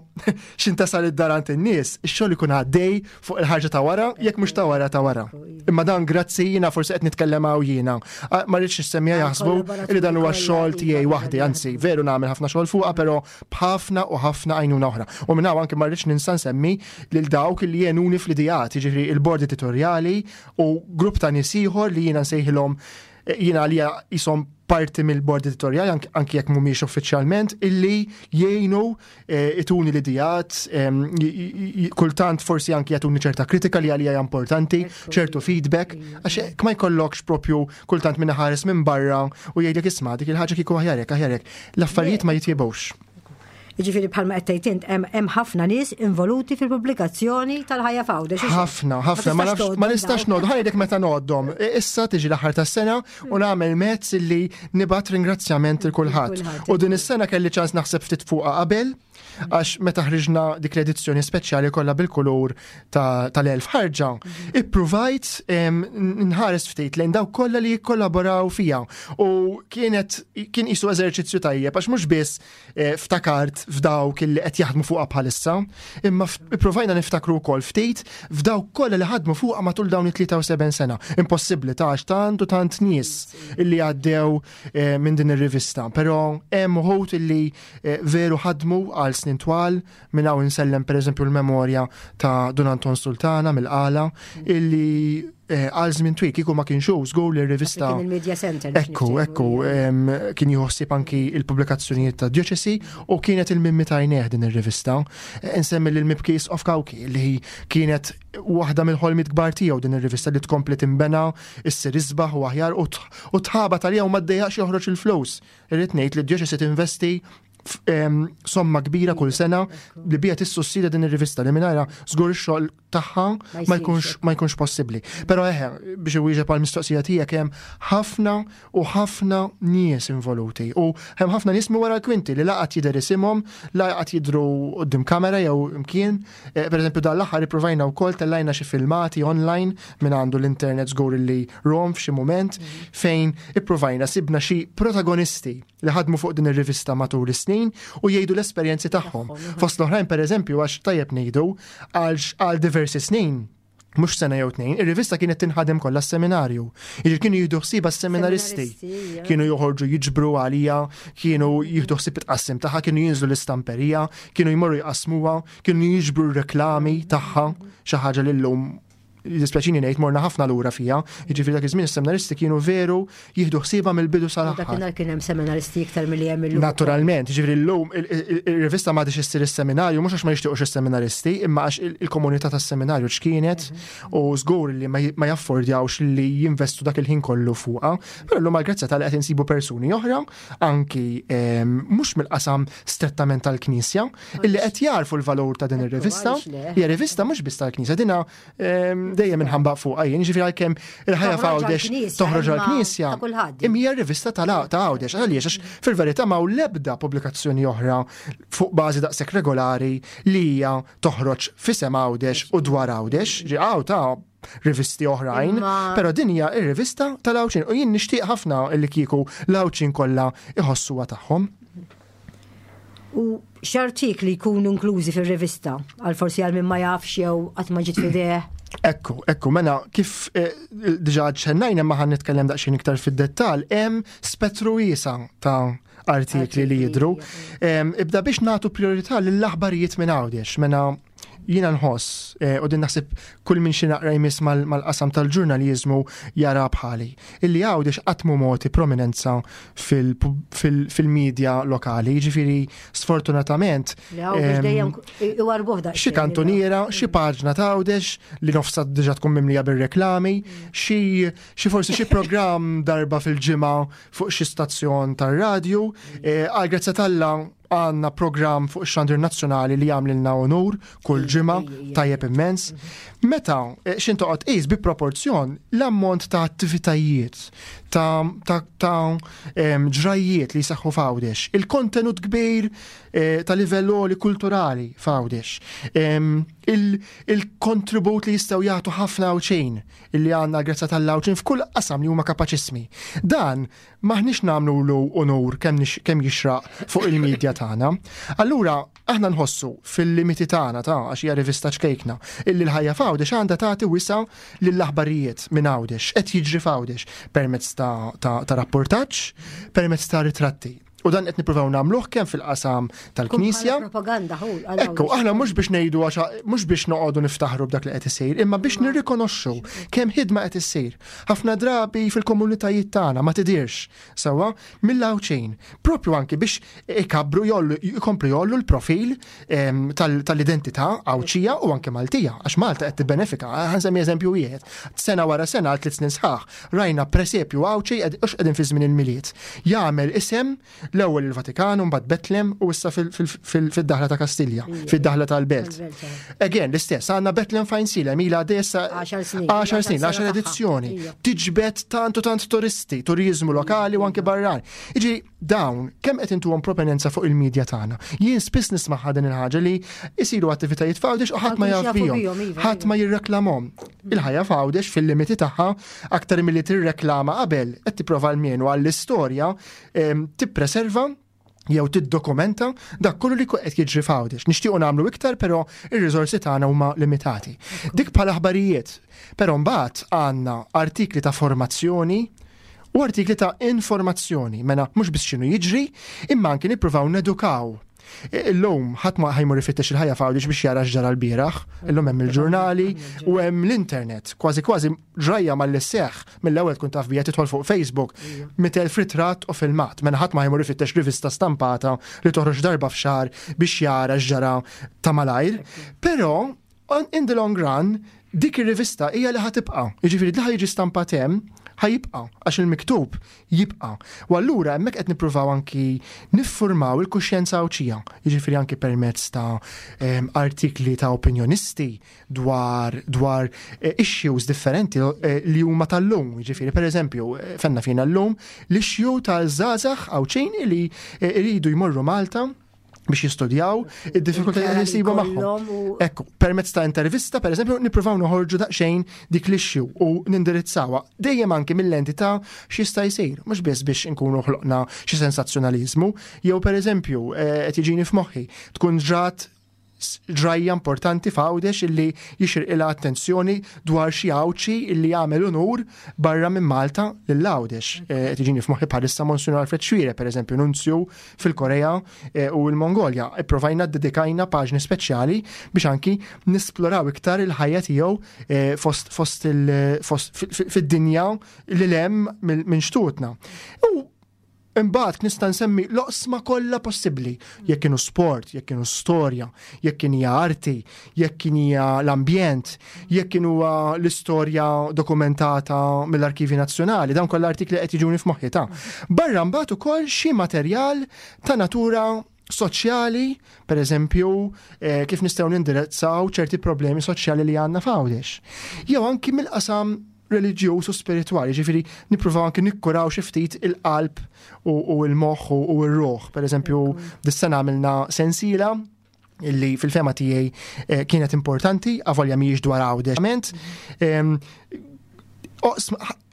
xin tasal id-dar għand in-nies, ix-xogħol ikun għaddej fuq il-ħarġa ta' wara, jekk mhux ta' wara ta' wara. Imma dan grazzi jiena forsi qed nitkellem hawn jiena. Ah, ma rridx is-semmiegħa Għal jaħsbu kollaboraturi li dan huwa kollha, x-xogħol tiegħi iva, waħdi, iva. anzi veru nagħmel ħafna xogħol fuqha, però b'ħafna u ħafna għajnuna oħra. U minn hawn anke ma rridx ninsa nsemmi lil dawk li jgħinuni fl-ideat, jiġifieri il-bord editorjali u grupp ta' nies ieħor li jiena nsejħilhom, eh, jiena għalija jisom parti mill-bord editorjali anki anki jekk mhumiex uffiċjalment, illi jgħinu eh, ituni l-ideat, em, j- j- j- kultant forsi anki jagħtuni ċerta kritika li għalija hija importanti, Ekku, ċertu feedback, għax hekk ma jkollokx propju kultant minn ħares minn barra u jgħidlek, "Isma', dik il-ħaġa kieku aħjarek, aħjarek." L-affarijiet ma jitjibux. Jiġifieri bħalma qed tgħid int, hemm hemm ħafna nies involuti fil-pubblikazzjoni tal-Ħajja f'Għawdex. Ħafna, ħafna, ma nafx, ma nistax ngħodd, ħa ngħidlek meta ngħoddhom. E, issa tiġi l-aħħar tas-sena u nagħmel mezz illi nibgħat ringrazzjament il kulħadd. Kulħadd. U din is-sena kelli ċans naħseb ftit fuqha qabel, għax meta ħriġna dik l-edizzjoni speċjali kollha bil-kulur ta- tal-elf ħarġa, ippruvajt em, nħares ftit lejn dawk kollha li jikkollaboraw fija. U kienet kien isu eżerċizzju tajjeb għax mhux biss eh, ftakart f'dawk illi qed jaħdmu fuqha bħalissa, imma f- ippruvajna niftakru wkoll ftit f'dawk kollha li ħadmu fuqha matul dawn it-tlieta u sebgħin sena. Impossibbli ta' għax tant u tant nies illi għaddew eh, minn din ir-rivista. Però hemm uħud illi eh, veru ħadmu għal snin twal, minn hawn insellem pereżempju l-memorja ta' Dun Anton Sultana mill-Qala illi eh, għal żmien twil kieku ma kienx hu żgur li r-rivista Kien il-Media Center biex Ekku, niftehmu, ekku, iva. em, kien juħsib anki il-pubblikazzjonijiet ta' dioċesi u kienet il-mimmi tajnieh din ir-rivista. Eh, Insemmi l-Mibki Isqof Cauchi li kienet waħda mill-ħolmiet kbar tiegħu din ir-rivista li tkompli timbena, issir isbaħ u aħjar u t- u tħabat għalija u ma ddejjaqx joħroġ il-flus. Irrid ngħid li d-dioċesi tinvesti f- em, somma kbira kull sena li bija tissussidja din ir-rivista li mingħajrha żgur ix-xogħol tagħha Ma ma jkunx jsirx. ma jkunx possibbli. Però eħe, biex iwieġeb għal mistoqsija tiegħek, hemm ħafna u ħafna nies involuti u hemm ħafna nies minn wara l-kwinti li laqat jidher isimhom, laqat jidru quddiem kamera jew imkien. Eh, Per eżempju dan l-aħħar ippruvajna wkoll tellajna xi filmati online, minn għandu l-internet żgur li rom f'xi mument, fejn ippruvajna sibna xi protagonisti li ħadmu fuq din ir-rivista matul is-snin u jgħidu l-esperjenzi tagħhom. Fost l-oħrajn, pereżempju, għax tajjeb ngħidu, għal għal diversi snin, mhux sena jew tnejn, ir-rivista kienet tinħadem kollha s-seminarju. Jiġifieri kienu jieħdu ħsiebha s-seminaristi. Seminaristi, ija. Kienu joħorġu jiġbru għalija, kienu jieħdu ħsieb it-qassim tagħha, kienu jinżlu l-istamperija, kienu jmorru jqasmuha, kienu jiġbru r-reklami tagħha, xi ħaġa li llum Jiddispjaċini ngħid, morna ħafna lura fija, jiġifieri dak iż-żmien is-seminaristi kienu veru jieħdu ħsiebha mill-bidu sal-aħħar. Dakinhar kien hemm seminaristi iktar milli hemm illum. Naturalment, jiġifieri llum il-rivista m'għadix issir is-seminarju mhux għax ma jixtiequx is-seminaristi, imma għax il-komunità tas-seminarju x'kienet u żgur li ma jaffordjawx li jinvestu dak il-ħin kollu fuqha. Però llum għall-grazzja tal qed insibu persuni oħra, anki mhux mill-qasam strettament tal-Knisja, illi qed jarfu l-valur ta' din ir-rivista. Hija rivista mhux biss tal-Knisja, dina dejjem inħambaq fuq jien, jiġifieri għalkemm Il-Ħajja f'Għawdex toħroġ għall-Knisja, imma hija rivista ta' Għawdex, għaliex għax fil-verità ma l-ebda pubblikazzjoni oħra fuq bażi daqshekk regolari li hija toħroġ f'isem Għawdex u dwar Għawdex, ġi għaw ta' rivisti oħrajn, però din hija ir-rivista tal-Għawdxin u jien nixtieq ħafna li kieku l-Għawdxin kollha iħossuha tagħhom. U x'artikli jkunu inklużi fir-rivista għal forsi għal min ma jafx jew qatt ma ġiet f'idejh? Ekku, ekku, mela kif eh, diġà ċennajna ma ħan nitkellem daqsxejn iktar fid-dettall, hemm spettru wiesa' ta' artikli li jidru. Ibda biex nagħtu priorità lill-aħbarijiet minn Għawdex, mela jiena nħoss, eh, u din naħseb kull min xi naqra jmiss mal-qasam tal-ġurnaliżmu jara bħali, illi Għawdex qatt mhu mogħti prominenza fil-medja lokali, jiġifieri sfortunatament. Xi kantuniera, xi paġna ta' Għawdex li nofsa diġà tkun mimlija bir-reklami, xi forsi xi programm darba fil-ġimgħa fuq xi stazzjon tar-radju, eh, għal grazzja t'Alla għandna program fuq ix-xandir nazzjonali li jagħmlilna onur kull ġimgħa, tajjeb immens. Meta eh, xin toqgħod qis bi proporzjon l-ammont ta' attivitajiet, ta' ta' ġrajiet li jseħħu f'Għawdex, il-kontenut kbir eh, ta' livell għoli kulturali f'Għawdex, il-kontribut li jistgħu jagħtu ħafna Għawdxin illi għandna grazzja tal-Għawdxin f'kull qasam li huma kapaċissmi. Dan maħniex nagħmlu onur kemm jixraq fuq il-medja tagħna. Allura aħna nħossu fil-limiti tagħna ta' għax hija rivista ċkejkna illi L-Ħajja f'Għawdex għandha tagħti wisa' lill-aħbarijiet minn Għawdex, qed jiġri f'Għawdex permezz ta', ta, ta rapportaġġ, permezz ta' ritratti. U dan qed nippruvaw nagħmluh kemm fil-qasam tal-Knisja. Propaganda hu. Ekku, aħna mhux biex ngħidu għax mhux biex noqogħdu niftaħru b'dak li qed isir, imma biex nirrikonoxxu kemm ħidma qed issir. Ħafna drabi fil-komunitajiet tagħna ma tidirx sewwa mill-Għawdxin. Propju anki biex ikabru jollu jkomplu jollu l-profil tal-identità Għawdxija u anke Maltija, għax Malta qed tibbenefika. Ħa nsemmi eżempju wieħed. Sena wara sena għal tliet snin sħaħ rajna presepju Għawdxi għax qegħdin fi żmien il-Milied. Jagħmel isem l-ewwel il-Vatikan u mbagħad Betlem u issa fil-daħla ta' Kastilja, fid-daħla tal-Belt. Again, l-istess, għandna Betlem f'Għajnsielem ilha desa għaxar snin. għaxar snin, l-għaxar edizzjoni. Tiġbed tant u tant turisti, turizmu lokali u anke barran. Iġi dawn, kemm qed intuhom proponenza fuq il-medja tagħna. Jien spiss nisma' din il-ħaġa li jsiru attivitajiet f'Għawdex u ħadd ma jaf bihom, ħadd ma jirreklamhom. Il-Ħajja f'Għawdex fil-limiti tagħha aktar milli tirreklama qabel qed tipprova almenu għall-istorja tippreserva jew tiddokumenta dak kollu li qed jiġri f'Għawdex. Nixtiequ nagħmlu iktar, però ir-riżorsi tagħna huma limitati. Dik bħala aħbarijiet. Però mbagħad għandna artikli ta' formazzjoni u artikli ta' informazzjoni, mela mhux biss x'inhu jiġri, imma anki nippruvaw nedukaw. Illum ħadd ma ħa jmur ifittex Il-Ħajja f'Għawdex biex jara x'ġara l-bieraħ, illum hemm il-ġurnali u hemm l-internet. Kważi kważi ġrajja mal seħ mill-ewwel tkun taf bija, tidħol fuq Facebook, mitt elf ritratt u filmat. Mela ħadd ma ħa jmur ifittex rivista stampata li toħroġ darba f'xahar biex jara x'ġara ta' malajr. Però in the long run dik ir-rivista hija li ħa tibqa'. Jiġifieri li ħa jiġi stampat hemm ħa jibqa', għax il-miktub jibqa'. U allura hemmhekk qed nippruvaw anki niffurmaw il-kuxjenza Għawdxija, jiġifieri anki permezz ta' artikli ta' opinjonisti dwar, dwar eh, issues differenti eh, li huma tal-lum, jiġifieri pereżempju eh, fenna fina l-lum l-issue tal-żgħażagħ Għawdxin li iridu jmorru Malta biex jistudjaw id-diffikultajiet li jsibu magħhom. Ekku, permezz ta' intervista, per eżempju, nippruvaw noħorġu daqsxejn dik l-issue u nindirizzawha dejjem anki mill-entità x'jista' jsir, mhux biss biex inkunu ħloqna xi sensazzjonaliżmu, jew per eżempju, eh, qed jiġini f'moħħi tkun ġrat ġrajja importanti f'Għawdex illi jixirqilha attenzjoni, dwar xi Għawdxi illi jagħmel unur barra minn Malta lil Għawdex. Eh, qed jiġini f'moħħi bħalissa Monsinjur Alfred Xuereb, pereżempju, nunzju fil-Korea eh, u l-Mongolja. Ipprovajna dedikajna paġni speċjali biex anki nisploraw iktar il-ħajja tiegħu eh, fost fost il fost fid-dinja li hemm minn xtutna. U imbagħad nista' nsemmi l-oqsma kollha possibbli, jekk kienu sport, jekk kienu storja, jekk kien hija arti, jekk kien hija l-ambjent, jekk kienu l-istorja dokumentata mill-Arkivi Nazzjonali, dawn kollha artikli qed jiġuni f'moħħi ta'. Barra mbagħad ukoll xi materjal ta' natura soċjali, per eżempju, eh, kif nistgħu nindirizzaw ċerti problemi soċjali li għandna f'Għawdex. Jew anki mill-qasam reliġjuż u spiritwali, ġifieri nippruvaw anki nikkuraw xi ftit il-qalb u l-moħħ u r-ruħ. Per eżempju, dis-sena għamilna sensiela illi fil-fehma tiegħi eh, kienet importanti, avolja mhijiex dwar Għawdex.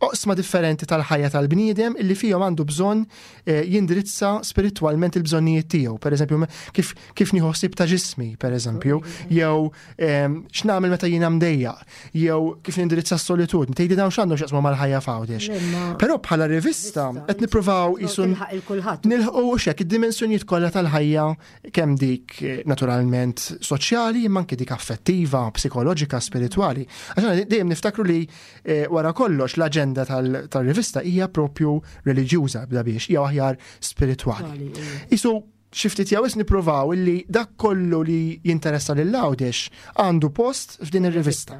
Oqsma differenti tal-ħajja tal-bniedem illi fihom għandu bżonn eh, jindirizza spiritwalment il-bżonnijiet tiegħu. Per eżempju, kif, kif nieħu ħsieb ta' ġismi, per eżempju, jew x'nagħmel meta jiena mdejjaq, jew kif nindirizza s-solitudni. Tgħidi dawn x'għandhom x'jaqsmu mal-ħajja f'Għawdex. Però bħala rivista qed nippruvaw isu nilħqu xek id-dimensjonijiet kollha tal-ħajja, kemm dik eh, naturalment soċjali, imma anke dik affettiva, psikoloġika, spiritwali. Għax dejjem niftakru li eh, wara kollox l-aġenda tal-rivista hija propju reliġjuża bda biex, hija aħjar spiritwali. Isu xi ftit jew nippruvaw illi dak kollu li jinteressa lil Għawdex għandu post f'din ir-rivista.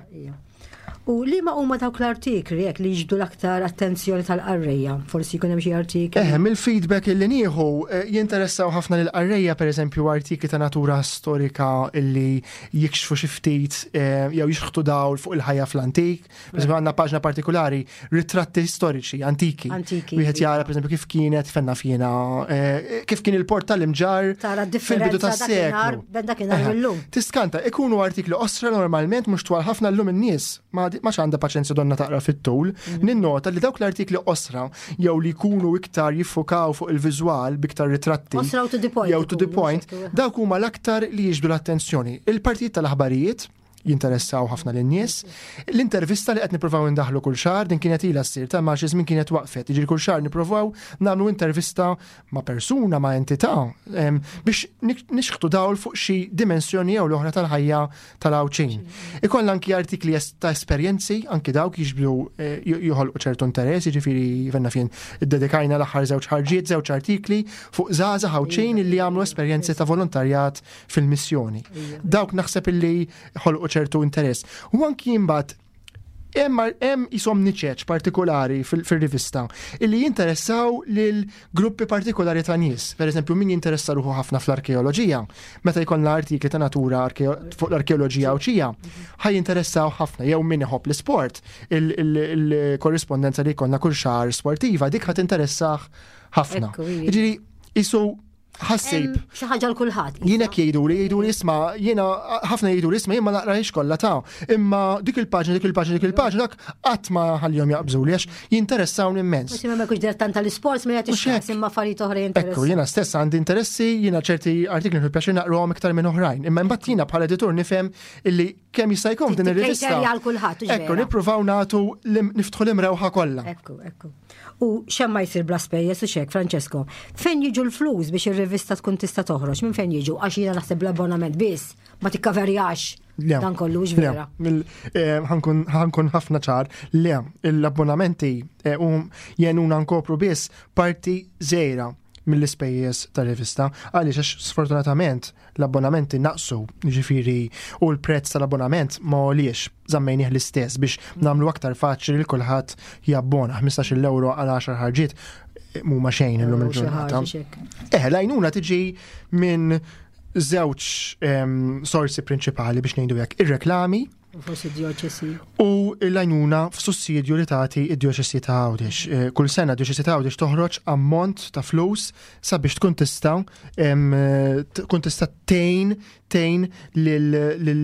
U li ma huma dawk l-artikli jekk li jiġbdu l-aktar attenzjoni tal-qarrejja? Forsi jkun hemm xi artikli. Eh, mill-feedback illi nieħu eh, jinteressaw ħafna lill-qarrejja, pereżempju, artikli ta' natura storika illi jikxfu xi ftit eh, jew jixħtu dawl fuq il-ħajja fl-antik. Pereżempju, għandna paġna partikolari, ritratti storiċi antiki. Antiki. Wieħed jara, pereżempju, kif kienet fenna fjena, eh, kif kien il-port tal-Imġarr Tara fil-bidu differenza dakinhar tas-seklu. ben dakinhar Eħe. illum. Tiskanta, ikunu artikli qosra normalment, mhux twal ħafna. Llum in-nies ma ma għandha paċenzja donna taqra fit-tul. Ninnota li dawk l-artikli qosra jew li jkunu iktar jiffukaw fuq il-viżwal biktar ritratti. Qosra u to the point Jew to the ikunu, point, hekk. dawk huma l-aktar li jiġbdu l-attenzjoni. Il-partijiet tal-aħbarijiet jinteressaw ħafna lin-nies. L-intervista li qed nippruvaw indaħlu kull xahar, din kienet ilha ssir ta' ma xi żmien kienet waqfet. Jiġri kull xahar nippruvaw nagħmlu intervista ma' persuna, ma' entità, em, biex nik- nixħtu dawl fuq xi dimensjoni jew l-oħra tal-ħajja tal-Għawdxin. Ikollna anki artikli es- ta' esperjenzi, anki dawk jiġbdu eh, joħolqu ċertu interess, jiġifieri venna fien iddedikajna l-aħħar żewġ ħarġiet, żewġ artikli fuq żgħażagħ Għawdxin illi għamlu esperjenzi ta' volontarjat fil-missjoni. Dawk naħseb illi ħolqu ċertu interess. U anki imbagħad hemm hemm jisom niċeċ partikolari fil- fil-rivista illi jinteressaw lil gruppi partikolari ta' nies. Per eżempju, min jinteressa ruħu ħafna fl-arkeoloġija, meta jkollna artikli ta' natura arkeo- fuq l-arkeoloġija Għawdxija, ħaj jinteressaw ħafna. Jew min iħobb l-sport, il-korrispondenza li jkollna kull xahar sportiva, dik ħat interessah ħafna. Ekku, ija. Jiġifieri, isu ħassib. Hemm xi ħaġa l kulħadd. Jiena jgħidu li jgħidu li isma', jiena ħafna jgħidu li isma', jien ma naqrahiex kollha ta', imma dik il-paġna, dik il-paġna, dik il-paġna, dak qatt ma ħallihom jaqbżu li għax jinteressawni immens. Forsi ma jkunx dilettant tal-isports ma jagħtix Mhux hekk. każ, imma affarijiet oħra Ekku, jinteressaw. jiena stess għandi interessi, jiena ċerti artikli nieħu pjaċir naqruhom iktar minn oħrajn. Imma mbagħad jiena bħala editur nifhem illi kemm jista' jkun f'din ir-rivista. Tikkejterja għal kulħadd, hux Ekku, vera? nippruvaw nagħtu l- niftħu l-imrewħa kollha. Ekku, ekku. U xemm ma jsir bla spejjeż u xek, Francesco. Fejn jiġu l-flus biex ir-rivista tkun tista' toħroġ? Minn fejn jiġu? Għax jiena naħseb l-abbonament biss ma tikkaverjax Le. dan kollu, hux Le, vera? mill- eh, ħankun ħankun ħafna ċar, le, l-abbonamenti eh, um jenuna nkopru biss parti żgħira mill-ispejjeż tar-rivista, għaliex għax sfortunatament l-abbonamenti naqsu, ġifieri, u l-prezz tal-abbonament ma għoliex, żammejnieh l-istess biex nagħmlu aktar faċli li kulħadd jabbona. Ħmistax-il euro għal għaxar ħarġiet eh, mhuma xejn illum Xi il-ġurnata. ħaġa xek. Eh, l-għajnuna tiġi minn żewġ em, sorsi prinċipali, biex ngħidu hekk, ir-reklami U forsi dioċesi. u l-għajnuna f'sussidju li tagħti id-djoċesi ta' Għawdex. Eh, Kull sena d-djoċesi ta' Għawdex toħroġ ammont ta' flus sabiex tkun tista' em, eh, tkun tista' tgħin tgħin lil lil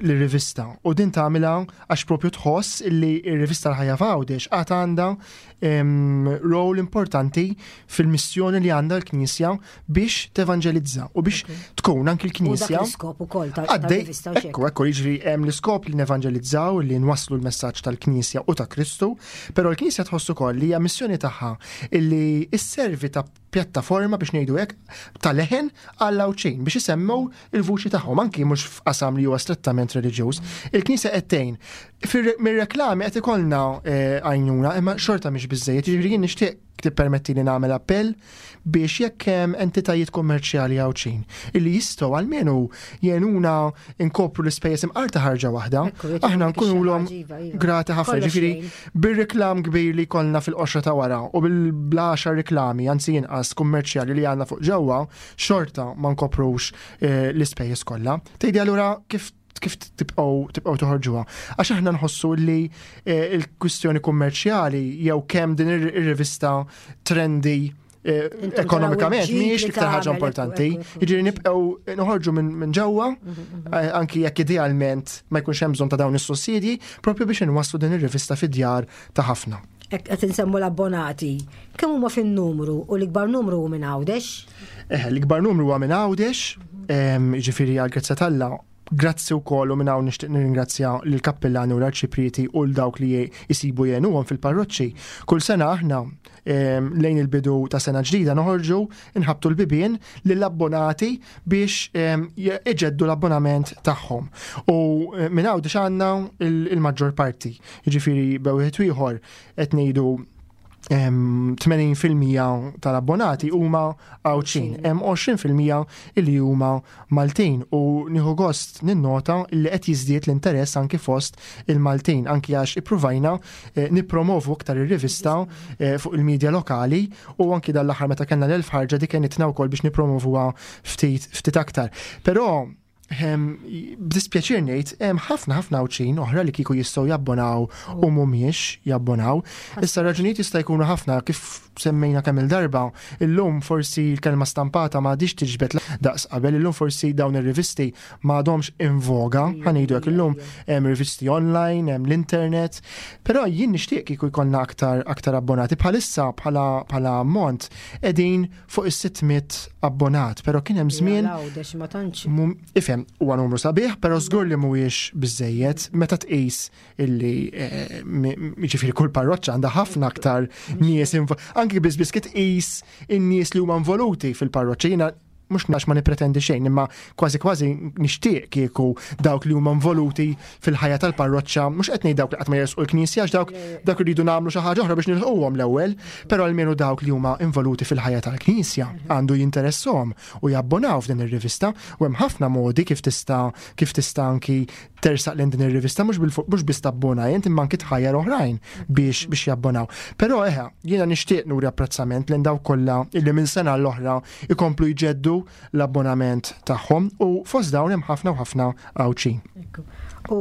l-rivista u din tagħmilha għax propju tħoss illi r-rivista l-Ħajja f'Għawdex għad għandha rol importanti fil-missjoni li għandha l-Knisja biex tevanġelizza u biex tkun anki l-Knisja. L-iskop ukoll tal-rivista. Ekku, ekku, jiġri hemm l-iskop li nevanġelizzaw, li nwasslu l-messaġġ tal-Knisja u ta' Kristu, però l-Knisja tħoss ukoll li hija missjoni tagħha illi sservi ta' pjattaforma, biex ngħidu hekk, ta' leħen għall-Għawdxin biex isemmew il-vuċi tagħhom, anki mhux f'qasam li huwa strettament reliġjuż. Il-Knisja qed tgħin. Mir-reklami qed ikollna eh, għajnuna, imma xorta mhix biżejjed. Jiġifieri jien nixtieq tippermetti li nagħmel appell biex jekk hemm entitajiet kummerċjali Għawdxin illi jistgħu almenu jgħinuna inkopru l-ispejjeż imqar ta' ħarġa waħda, aħna nkunulhom iva, iva. grati ħafna. Ġifieri bir-reklam kbir li kollna fil-qoxra ta' wara u bil-għaxar reklami, anzi inqas, kummerċjali li għandna fuq ġewwa, xorta ma nkoprux eh, l-ispejjeż kollha. Tgħidi allura kif kif tibqgħu tibqgħu toħorġuha? Għax aħna nħossu li eh, il-kwistjoni kummerċjali jew kemm din ir-rivista trendi eh, ekonomikament mhijiex l-iktar ħaġa importanti. Jiġifieri nibqgħu noħorġu minn ġewwa, mhm, mhm. eh, anki jekk idealment ma jkunx hemm bżonn ta' dawn is-sussidji, propju biex inwasslu din ir-rivista fid-djar ta' ħafna. Qed insemmu l-abbonati. Kemm huma fin-numru u l-ikbar numru hu minn Għawdex? Eh, l-ikbar numru huwa minn Għawdex, jiġifieri għal grazzja t'Alla. Grazzi wkoll u minn hawn nixtieq nirringrazzja lill-kappillani u l-arċiprieti u l dawk li jisibu jgħinuhom fil-parroċċi. Kull sena aħna lejn il-bidu ta' sena ġdida noħorġu nħabtu l-bibien lill-abbonati biex iġeddu l-abbonament tagħhom. U eh, minn hawn għandna il-maġġor parti. Jiġifieri bejn wieħed ieħor qed ngħidu tmenin fil-mija tal-abbonati huma Għawdxin, hemm għoxrin fil-mija illi huma Maltin u nieħu gost ninnota li qed jiżdied l-interess anki fost il-Maltin, anki għax ippruvajna eh, nippromovu aktar ir-rivista eh, fuq il-medja lokali u anki dal-aħħar meta kellna l-elf ħarġa dik kienet wkoll biex nippromovuha ftit ftit aktar. Però b'dispjaċir ngħid, hemm ħafna ħafna Għawdxin oħra li kieku jistgħu jabbonaw u mhumiex jabbonaw. Issa raġunijiet jista' jkunu ħafna, kif semmejna kemm il-darba, illum forsi l-kelma stampata ma għadix tiġbed daqs qabel, illum forsi dawn ir-rivisti ma għadhomx in voga, ħa ngħidu hekk, illum hemm rivisti online, hemm l-internet, però jien nixtieq kieku jkollna aktar aktar abbonati. Bħalissa bħala bħala ammont qegħdin fuq is-sitt mitt abbonat, però kien hemm żmien ifhem, huwa numru sabiħ, però żgur li mhuwiex biżejjed meta tqis illi eh, jiġifieri kull parroċċa għandha ħafna aktar nies, anki biss biss tqis in-nies li huma involuti fil-parroċċa. Jiena mhux nax ma nipretendi xejn, imma kważi kważi nixtieq kieku dawk li huma involuti fil-ħajja tal-parroċċa, mhux qed ngħid dawk li qatt ma jersqu l-knisja, għax dawk dawk iridu nagħmlu xi ħaġa oħra biex nilħquhom l-ewwel, però almenu dawk li huma involuti fil-ħajja tal-knisja għandu jinteresshom u jabbonaw f'din ir-rivista. U hemm ħafna modi kif tista' kif tista' anki tersaq lejn din ir-rivista, mhux mhux biss tabbona jent imma anki tħajjar oħrajn biex biex jabbonaw. Però eħe, jiena nixtieq nuri apprezzament lejn dawk kollha illi minn sena l-oħra ikomplu jġeddu l-abbonament tagħhom u fost dawn hemm ħafna u ħafna Għawdxin. U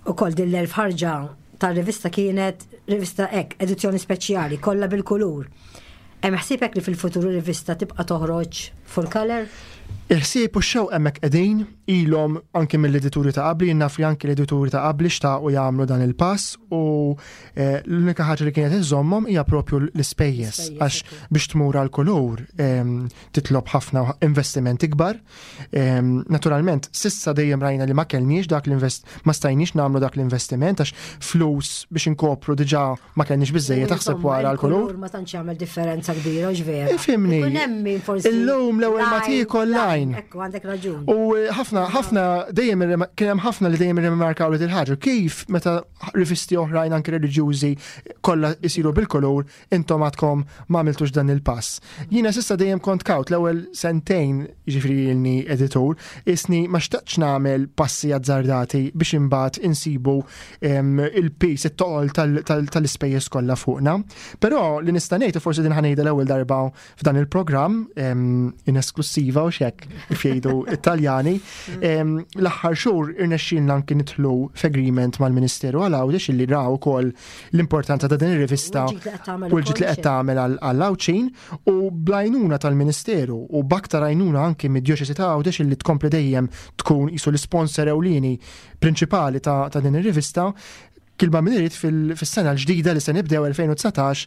ukoll din l-elf ħarġa tar-rivista kienet rivista ek, edizzjoni speċjali, kollha bil-kulur. Hemm ħsiebek li fil-futur rivista tibqa' toħroġ full color? Il-ħsieb u x-xewq hemmhekk qegħdin, ilhom anke mill-edituri ta' qabli, naf li anke l-edituri ta' qabli xtaqu jagħmlu dan il-pass u eh, l-unika ħaġa li kienet iżommhom hija propju l-ispejjeż, għax biex tmur għal kulur titlob ħafna investimenti kbar. Naturalment, s'issa dejjem rajna li ma kellniex dak l-invest ma stajniex nagħmlu dak l-investiment għax flus biex inkopru diġà ma kellniex biżejjed, taħseb wara l-kulur. Ma tantx jagħmel differenza kbira, vera. Ifhimni. Illum l-ewwel ma tiekol line. Ekku, għandek raġun. U eh, ħafna, ħafna, dejjem kien hemm ħafna li dejjem irrimarkaw li il-ħaġa kif meta rivisti oħrajn, anke reliġjużi, kollha jsiru bil-kulur, intom għadkom ma għamiltux dan il-pass. Jiena s'issa dejjem kont kawt l-ewwel sentejn, jiġifieri ilni editur, isni ma xtaqtx nagħmel passi azzardati biex imbagħad insibu il-piż, it-toqol tal-ispejjeż kollha fuqna. Però li nista' ngħid, u forsi din ħa ngħidha l-ewwel darba f'dan il-programm in esklusiva u xek. kif jgħidu Italjani. L-aħħar xhur irnexxielna anki nidħlu f'agreement mal-Ministeru għal Għawdex illi raw ukoll l-importanza ta' din ir-rivista u l-ġid li qed tagħmel għall-Għawdxin u bl-għajnuna tal-Ministeru u b'aktar għajnuna anki mid-Djoċesi ta' Għawdex illi tkompli dejjem tkun qisu l-isponsor ewlieni prinċipali ta' din ir-rivista. Kilba min irid fis-sena l-ġdida li se nibdew elfejn u dsatax,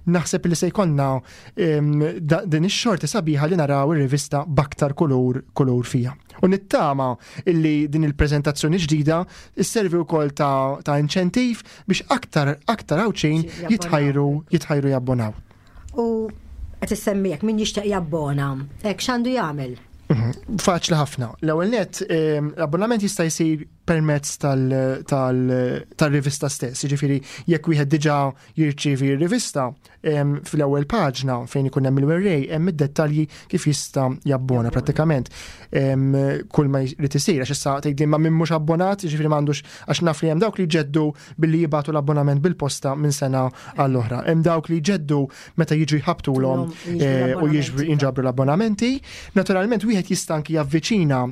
naħseb li se jkollna din ix-xorti sabiħa li naraw ir-rivista b'aktar kulur kulur fija. U nittama illi din il-preżentazzjoni ġdida isservi wkoll ta', ta inċentiv biex aktar aktar Għawdxin jitħajru jitħajru jabbonaw. U qed issemmijek min jixtieq jabbona, hekk x'għandu jagħmel? Mhm. Faċli ħafna. L-ewwel net, l-abbonament jista' jsir permezz tal-rivista stess. Jiġifieri jekk wieħed diġà jirċievi r-rivista, fl-ewwel paġna fejn ikun hemm il-werrej hemm id-dettalji kif jista' jabbona prattikament. Kull ma jrid isir, għax issa tgħidli ma min mhux abbonat, jiġifieri m'għandux, għax naf li hemm dawk li jġeddu billi jibagħtu l-abbonament bil-posta minn sena għall-oħra. Hemm dawk li jġeddu meta jiġu jħabtulhom eh, u jinġabru l-abbonamenti. Naturalment wieħed jista' anki javviċina,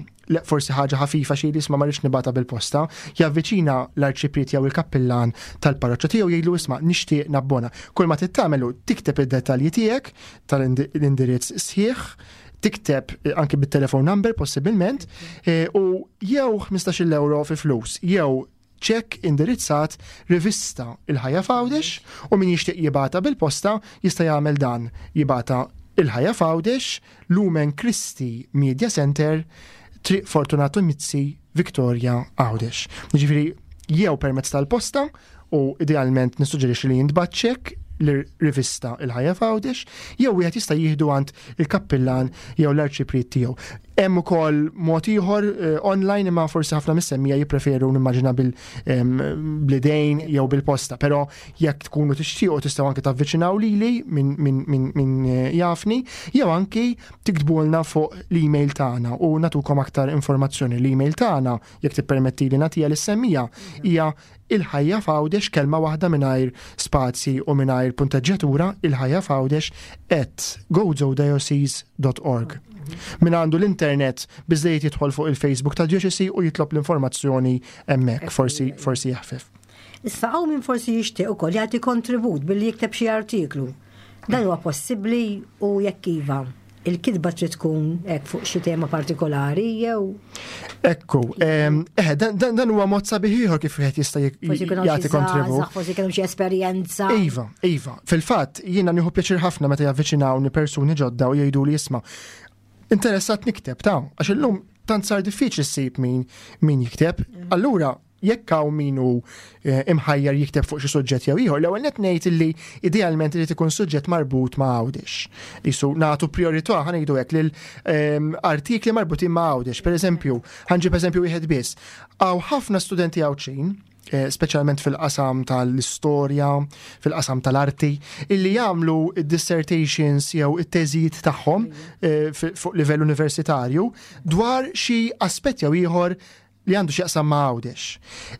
forsi ħaġa ħafifa xi isma' ma rridx nibgħatha bil-posta, javviċina l-arċipriet jew il-kappillan tal-parroċċa tiegħu, jgħidlu: "Isma', nixtieq nabbona." Kull ma tagħmlu, tikteb id-dettalji tiegħek tal-indirizz sħiħ, tikteb eh, anki bit-telephone number possibilment, eh, u jew ħmistax-il euro fi flus, jew ċekk indirizzat rivista Il-Ħajja f'Għawdex, u min jixtieq jibgħatha bil-posta jista' jagħmel dan, jibgħatha Il-Ħajja f'Għawdex, Lumen Christi Media Center, Triq Fortunato Mizzi, Victoria, Għawdex. Jiġifieri jew permezz tal-posta u idealment nissuġġerixxi li jintbagħat ċekk l-rivista Il-Ħajja f'Għawdex, jew wieħed jista' jieħdu għand il-kappillan jew l-arċipriet tiegħu. Hemm ukoll mod ieħor eh, online, imma forsi ħafna mis-semmija jippreferu, nimmaġina, bil-idejn jew bil-posta, però jekk tkunu tixtiequ tistgħu anke tavviċinaw lili min, min, min, min eh, jafni jew anki tiktbulna fuq l-email tagħna u natukom aktar informazzjoni. L-email tagħna, jekk tippermetti li nagħtiha lis-semmija, hija Il-Ħajja f'Għawdex, kelma waħda mingħajr spazji u mingħajr punteġġjatura, il-ħajja f'għawdex at gozodiocese dot org. Min għandu l-internet biżejjed jidħol fuq il-Facebook ta' Dioċesi u jitlob l-informazzjoni hemmhekk, forsi forsi jaħfef. Issa hawn min forsi jixtieq ukoll jagħti kontribut billi jikteb xi artiklu. Dan huwa possibbli u jekk iva, il-kitba trid tkun hekk fuq xi tema partikolari jew? Ekku, eh, dan, dan, dan huwa mod sabiħ ieħor kif wieħed jista' forsi jkun hawn xi jagħti kontribut. Żgħażagħ, forsi kienu xi esperjenza. Iva, iva. Fil-fatt, jiena nieħu pjaċir ħafna meta javviċinawni persuni ġodda u jgħidu li: "Isma', interessat nikteb ta'," għax illum tant sar diffiċli ssib min min jikteb. Allura, jekk hawn min hu eh, imħajjar jikteb fuq xi suġġett jew ieħor, l-ewwel net ngħid illi idealment irid ikun suġġett marbut ma' Għawdex. Qisu nagħtu priorità, ħa ngħidu hekk, lil ehm, artikli marbutin ma' Għawdex. Per eżempju, ħa nġib eżempju wieħed biss. Hawn ħafna studenti Għawdxin, eh, speċjalment fil-qasam tal-istorja, fil-qasam tal-arti, illi jagħmlu id-dissertations jew it-teżijiet tagħhom eh, fi- fuq livell universitarju dwar xi aspett jew ieħor li għandu x'jaqsam ma' Għawdex.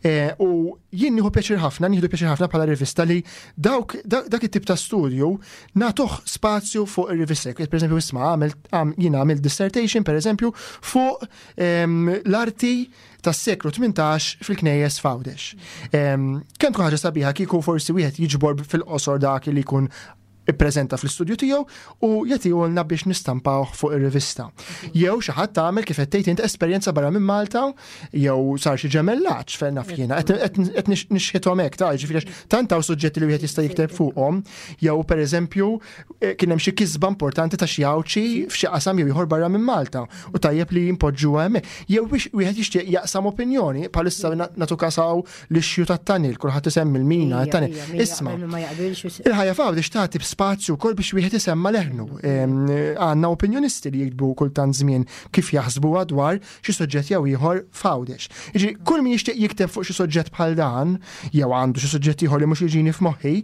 Eh, U jien nieħu pjaċir ħafna, nieħdu pjaċir ħafna bħala rivista li dawk dak it-tip ta' studju nagħtuh spazju fuq ir-rivista. Per eżempju, isma', għamil jien għamilt dissertation, per eżempju, fuq ehm, l-arti tas-seklu tmintax fil-knejjes f'Għawdex. Ehm, Kemm tkun ħaġa sabiħa kieku forsi wieħed jiġbor fil-qosor dak li jkun ippreżenta fl-istudju tiegħu u jagħtihulna biex nistampawh fuq ir-rivista. Jew xi ħadd tagħmel, kif qed tgħid int, esperjenza barra minn Malta jew sar xi ġemellaġġ, fejn naf jiena, qed nixħithom hekk ta', ġifieri tant hawn suġġetti li wieħed jista' jikteb fuqhom, jew pereżempju eh, kien hemm xi kisba importanti ta' xi Għawdxi f'xi qasam jew ieħor barra minn Malta u tajjeb li jimpoġġuha hemmhekk. Jew biex wieħed jixtieq jaqsam opinjoni, bħalissa nagħtu kas hawn l-issue tat-tunnel, kulħadd isemmi l-mina, t-tunnel. Isma', Il-Ħajja f'Għawdex tagħti spazju wkoll biex wieħed isemma leħnu. Għandna opinjonisti li jiktbu kultant żmien kif jaħsbuha dwar xi suġġett jew ieħor f'Għawdex. Jiġi kull min jixtieq jikteb fuq xi suġġett bħal dan, jew għandu xi suġġett ieħor li mhux jiġini f'moħħi,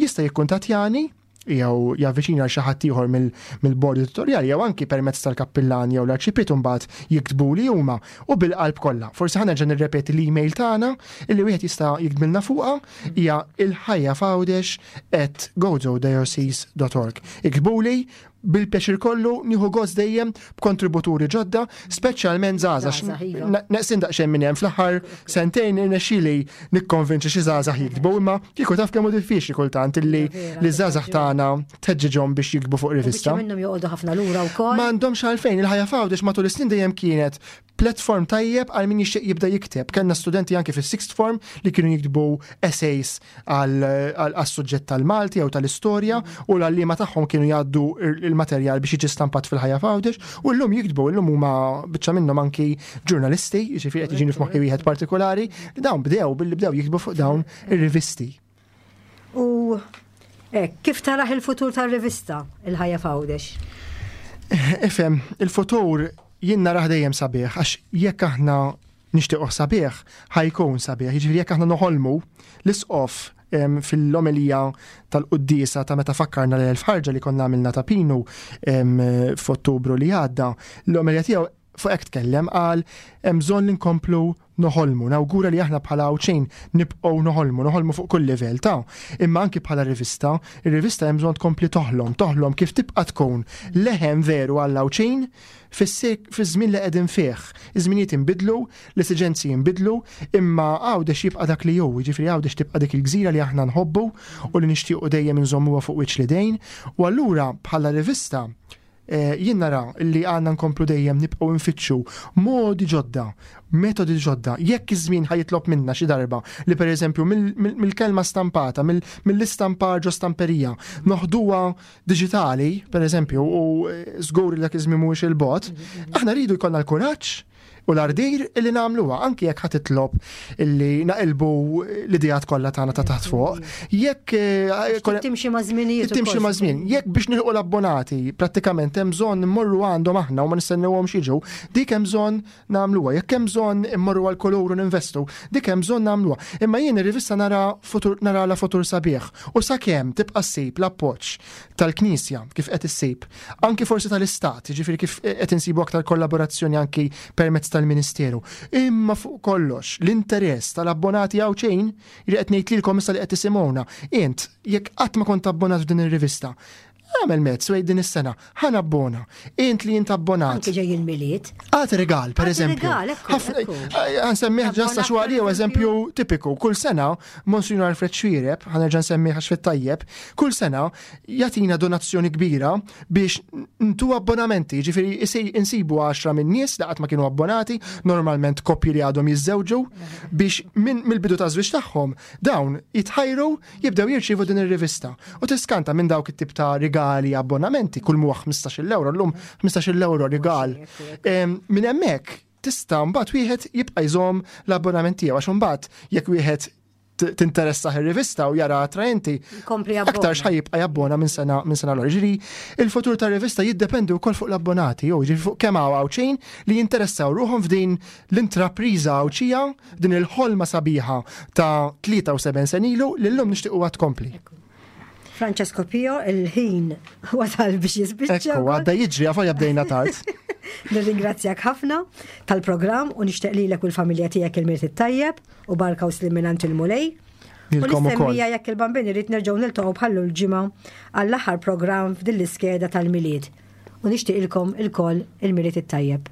jista' jikkuntattjani jew javviċina xi ħadd ieħor mill-bord editorjali jew anki permezz tal-kappillan jew l-arċipriet, mbagħad jiktbu li huma u bil-qalb kollha. Forsi ħa nerġa' nirrepeti l-email tagħna illi wieħed jista' jiktbilna fuqha, hija il-ħajja f'għawdex at gozodiocese dot org. Iktbuli. Bil-pjaċir kollu nieħu gost dejjem b'kontributuri ġodda, speċjalment żgħażagħ. Iva. Neqsin daqsxejn minn hemm fl-aħħar sentejn irnexxieli nikkonvinċi xi żgħażagħ jiktbu, imma kieku taf kemm hu diffiċli kultant illi li żgħażagħ tagħna tħeġġiġhom biex jiktbu fuq rivista. Minnhom joqogħdu ħafna lura wkoll. M'għandhomx għalfejn, il-Ħajja f'Għawdex matul is-snin dejjem kienet platform tajjeb għal min jixtieq jibda jikteb. Kellna studenti anke fis-sixth form li kienu jiktbu essays għal suġġett tal-Malti jew tal-istorja u l-għalliema tagħhom kienu jgħaddu il-materjal biex jiġi stampat fil-Ħajja f'Għawdex u llum jiktbu, llum huma biċċa minnhom anki ġurnalisti, jiġifieri qed jiġini f'moħħi wieħed partikolari, li dawn bdew billi bdew jiktbu fuq dawn ir-rivisti. U kif taraħ il-futur tar-rivista il-Ħajja f'Għawdex? Ifhem, il-futur jien narah dejjem sabiħ, għax jekk aħna nixtiequ sabiħ, ħa jkun sabiħ. Jiġifieri jekk aħna noħolmu, l-isqof fil-omelija tal-quddiesa ta' meta fakkarna l-elf ħarġa li konna għamilna ta' Pinu f'Ottubru li għadda, l-omelija tiegħu fuq hekk tkellem, qal hemm bżonn li nkomplu noħolmu, nawgura li aħna bħala Għawdxin nibqgħu noħolmu, noħolmu fuq kull livell ta' imma anki bħala rivista, ir-rivista hemm bżonn tkompli toħlom, toħlom kif tibqa' tkun leħen veru għall Għawdxin fiż-żmien li qegħdin fih. Iż-żminijiet inbidlu, l-esiġenzi jinbidlu, imma Għawdex jibqa' dak li hu, jiġifieri Għawdex tibqa' dik il-gżira li aħna nħobbu u li nixtiequ dejjem inżommuha fuq wiċċ l-idejn. U allura bħala rivista eh, jien nara li għandna nkomplu dejjem nibqgħu nfittxu modi ġodda, metodi ġodda. Jekk iż-żmien ħa jitlob minna xi darba li pereżempju mill-kelma stampata, mill-istampar ġo stamperija, noħduha diġitali, pereżempju, u eh, żgur li dak iż-żmien mhuwiex il-bogħod, aħna rridu jkollna l-kuraġġ u l-ardir illi nagħmluha, anki jekk ħa titlob illi naqilbu l-idejat kollha tagħna ta' taħt fuq. Jekk eh, timxi ma' żminijiet. Timxi ma' żmien. Jekk biex nilħqu l-abbonati prattikament hemm bżonn immorru għandhom aħna u ma nistennewhom jiġu, dik hemm bżonn nagħmluha. Jekk hemm bżonn immorru għal kulur u ninvestu, dik hemm bżonn nagħmluha. Imma jien ir-rivista nara futur nara la futur sabiħ u sakemm tibqa' ssib l-appoġġ tal-Knisja kif qed issib, anki forsi tal-Istat, jiġifieri kif qed insibu aktar kollaborazzjoni anki permezz tal-Ministeru. Imma fuq kollox, l-interess tal-abbonati Għawdxin li qed ngħid lilkom issa li qed tisimgħuna, int jekk qatt ma kont abbonat f'din ir-rivista, għamel mezz u din is-sena ħa nabbona. Int li int abbonat. Anki ġej il-Milied. Għat regal, per eżempju. Ħa nsemmih ġasta xwali u eżempju tipiku. Kull sena, Monsignor Alfred Xuereb, ħa nerġa' nsemmih għax fit-tajjeb, kull sena jagħtina donazzjoni kbira biex ntu abbonamenti, ġifieri insibu għaxra minn nies li qatt ma kienu abbonati, normalment koppji li għadhom jiżżewġu, biex minn mill-bidu ta' żwieġ tagħhom dawn jitħajru jibdew jirċievu din ir-rivista. U tiskanta minn dawk it-tip ta' rigali abbonamenti, kull muħ ħmistax-il euro, llum ħmistax-il euro rigal. Minn hemmhekk tista' mbagħad wieħed jibqa' jżomm l-abbonament tiegħu, għax imbagħad jekk wieħed tinteressa ir-rivista u jara attraenti, aktar x'ħa jibqa' jabbona minn sena minn sena l Ġifieri, il-futur tar-rivista jiddependi wkoll fuq l-abbonati, jew ġifieri fuq kemm hawn Għawdxin li jinteressaw ruħhom f'din l-intrapriża Għawdxija, din il-ħolma sabiħa ta' tlieta u sebgħin sena ilu li llum nixtiequ tkompli. Francesco Pio, il-ħin wasal biex jispiċċa. Ekku, għadda jiġri, għafa bdejna tard. Nirringrazzjak ħafna tal-programm u nixtieq lilek u l-familja tiegħek il-Milied it-tajjeb u barka u sliem mingħand il-Mulej. U Lilkom ukoll. l-istemmija jekk il-Bambin irid nerġgħu niltaqgħu bħallu l-ġimgħa għall-aħħar programm f'din l-iskeda tal-Milied. U nixtieq ilkom ilkoll il-Milied it-tajjeb.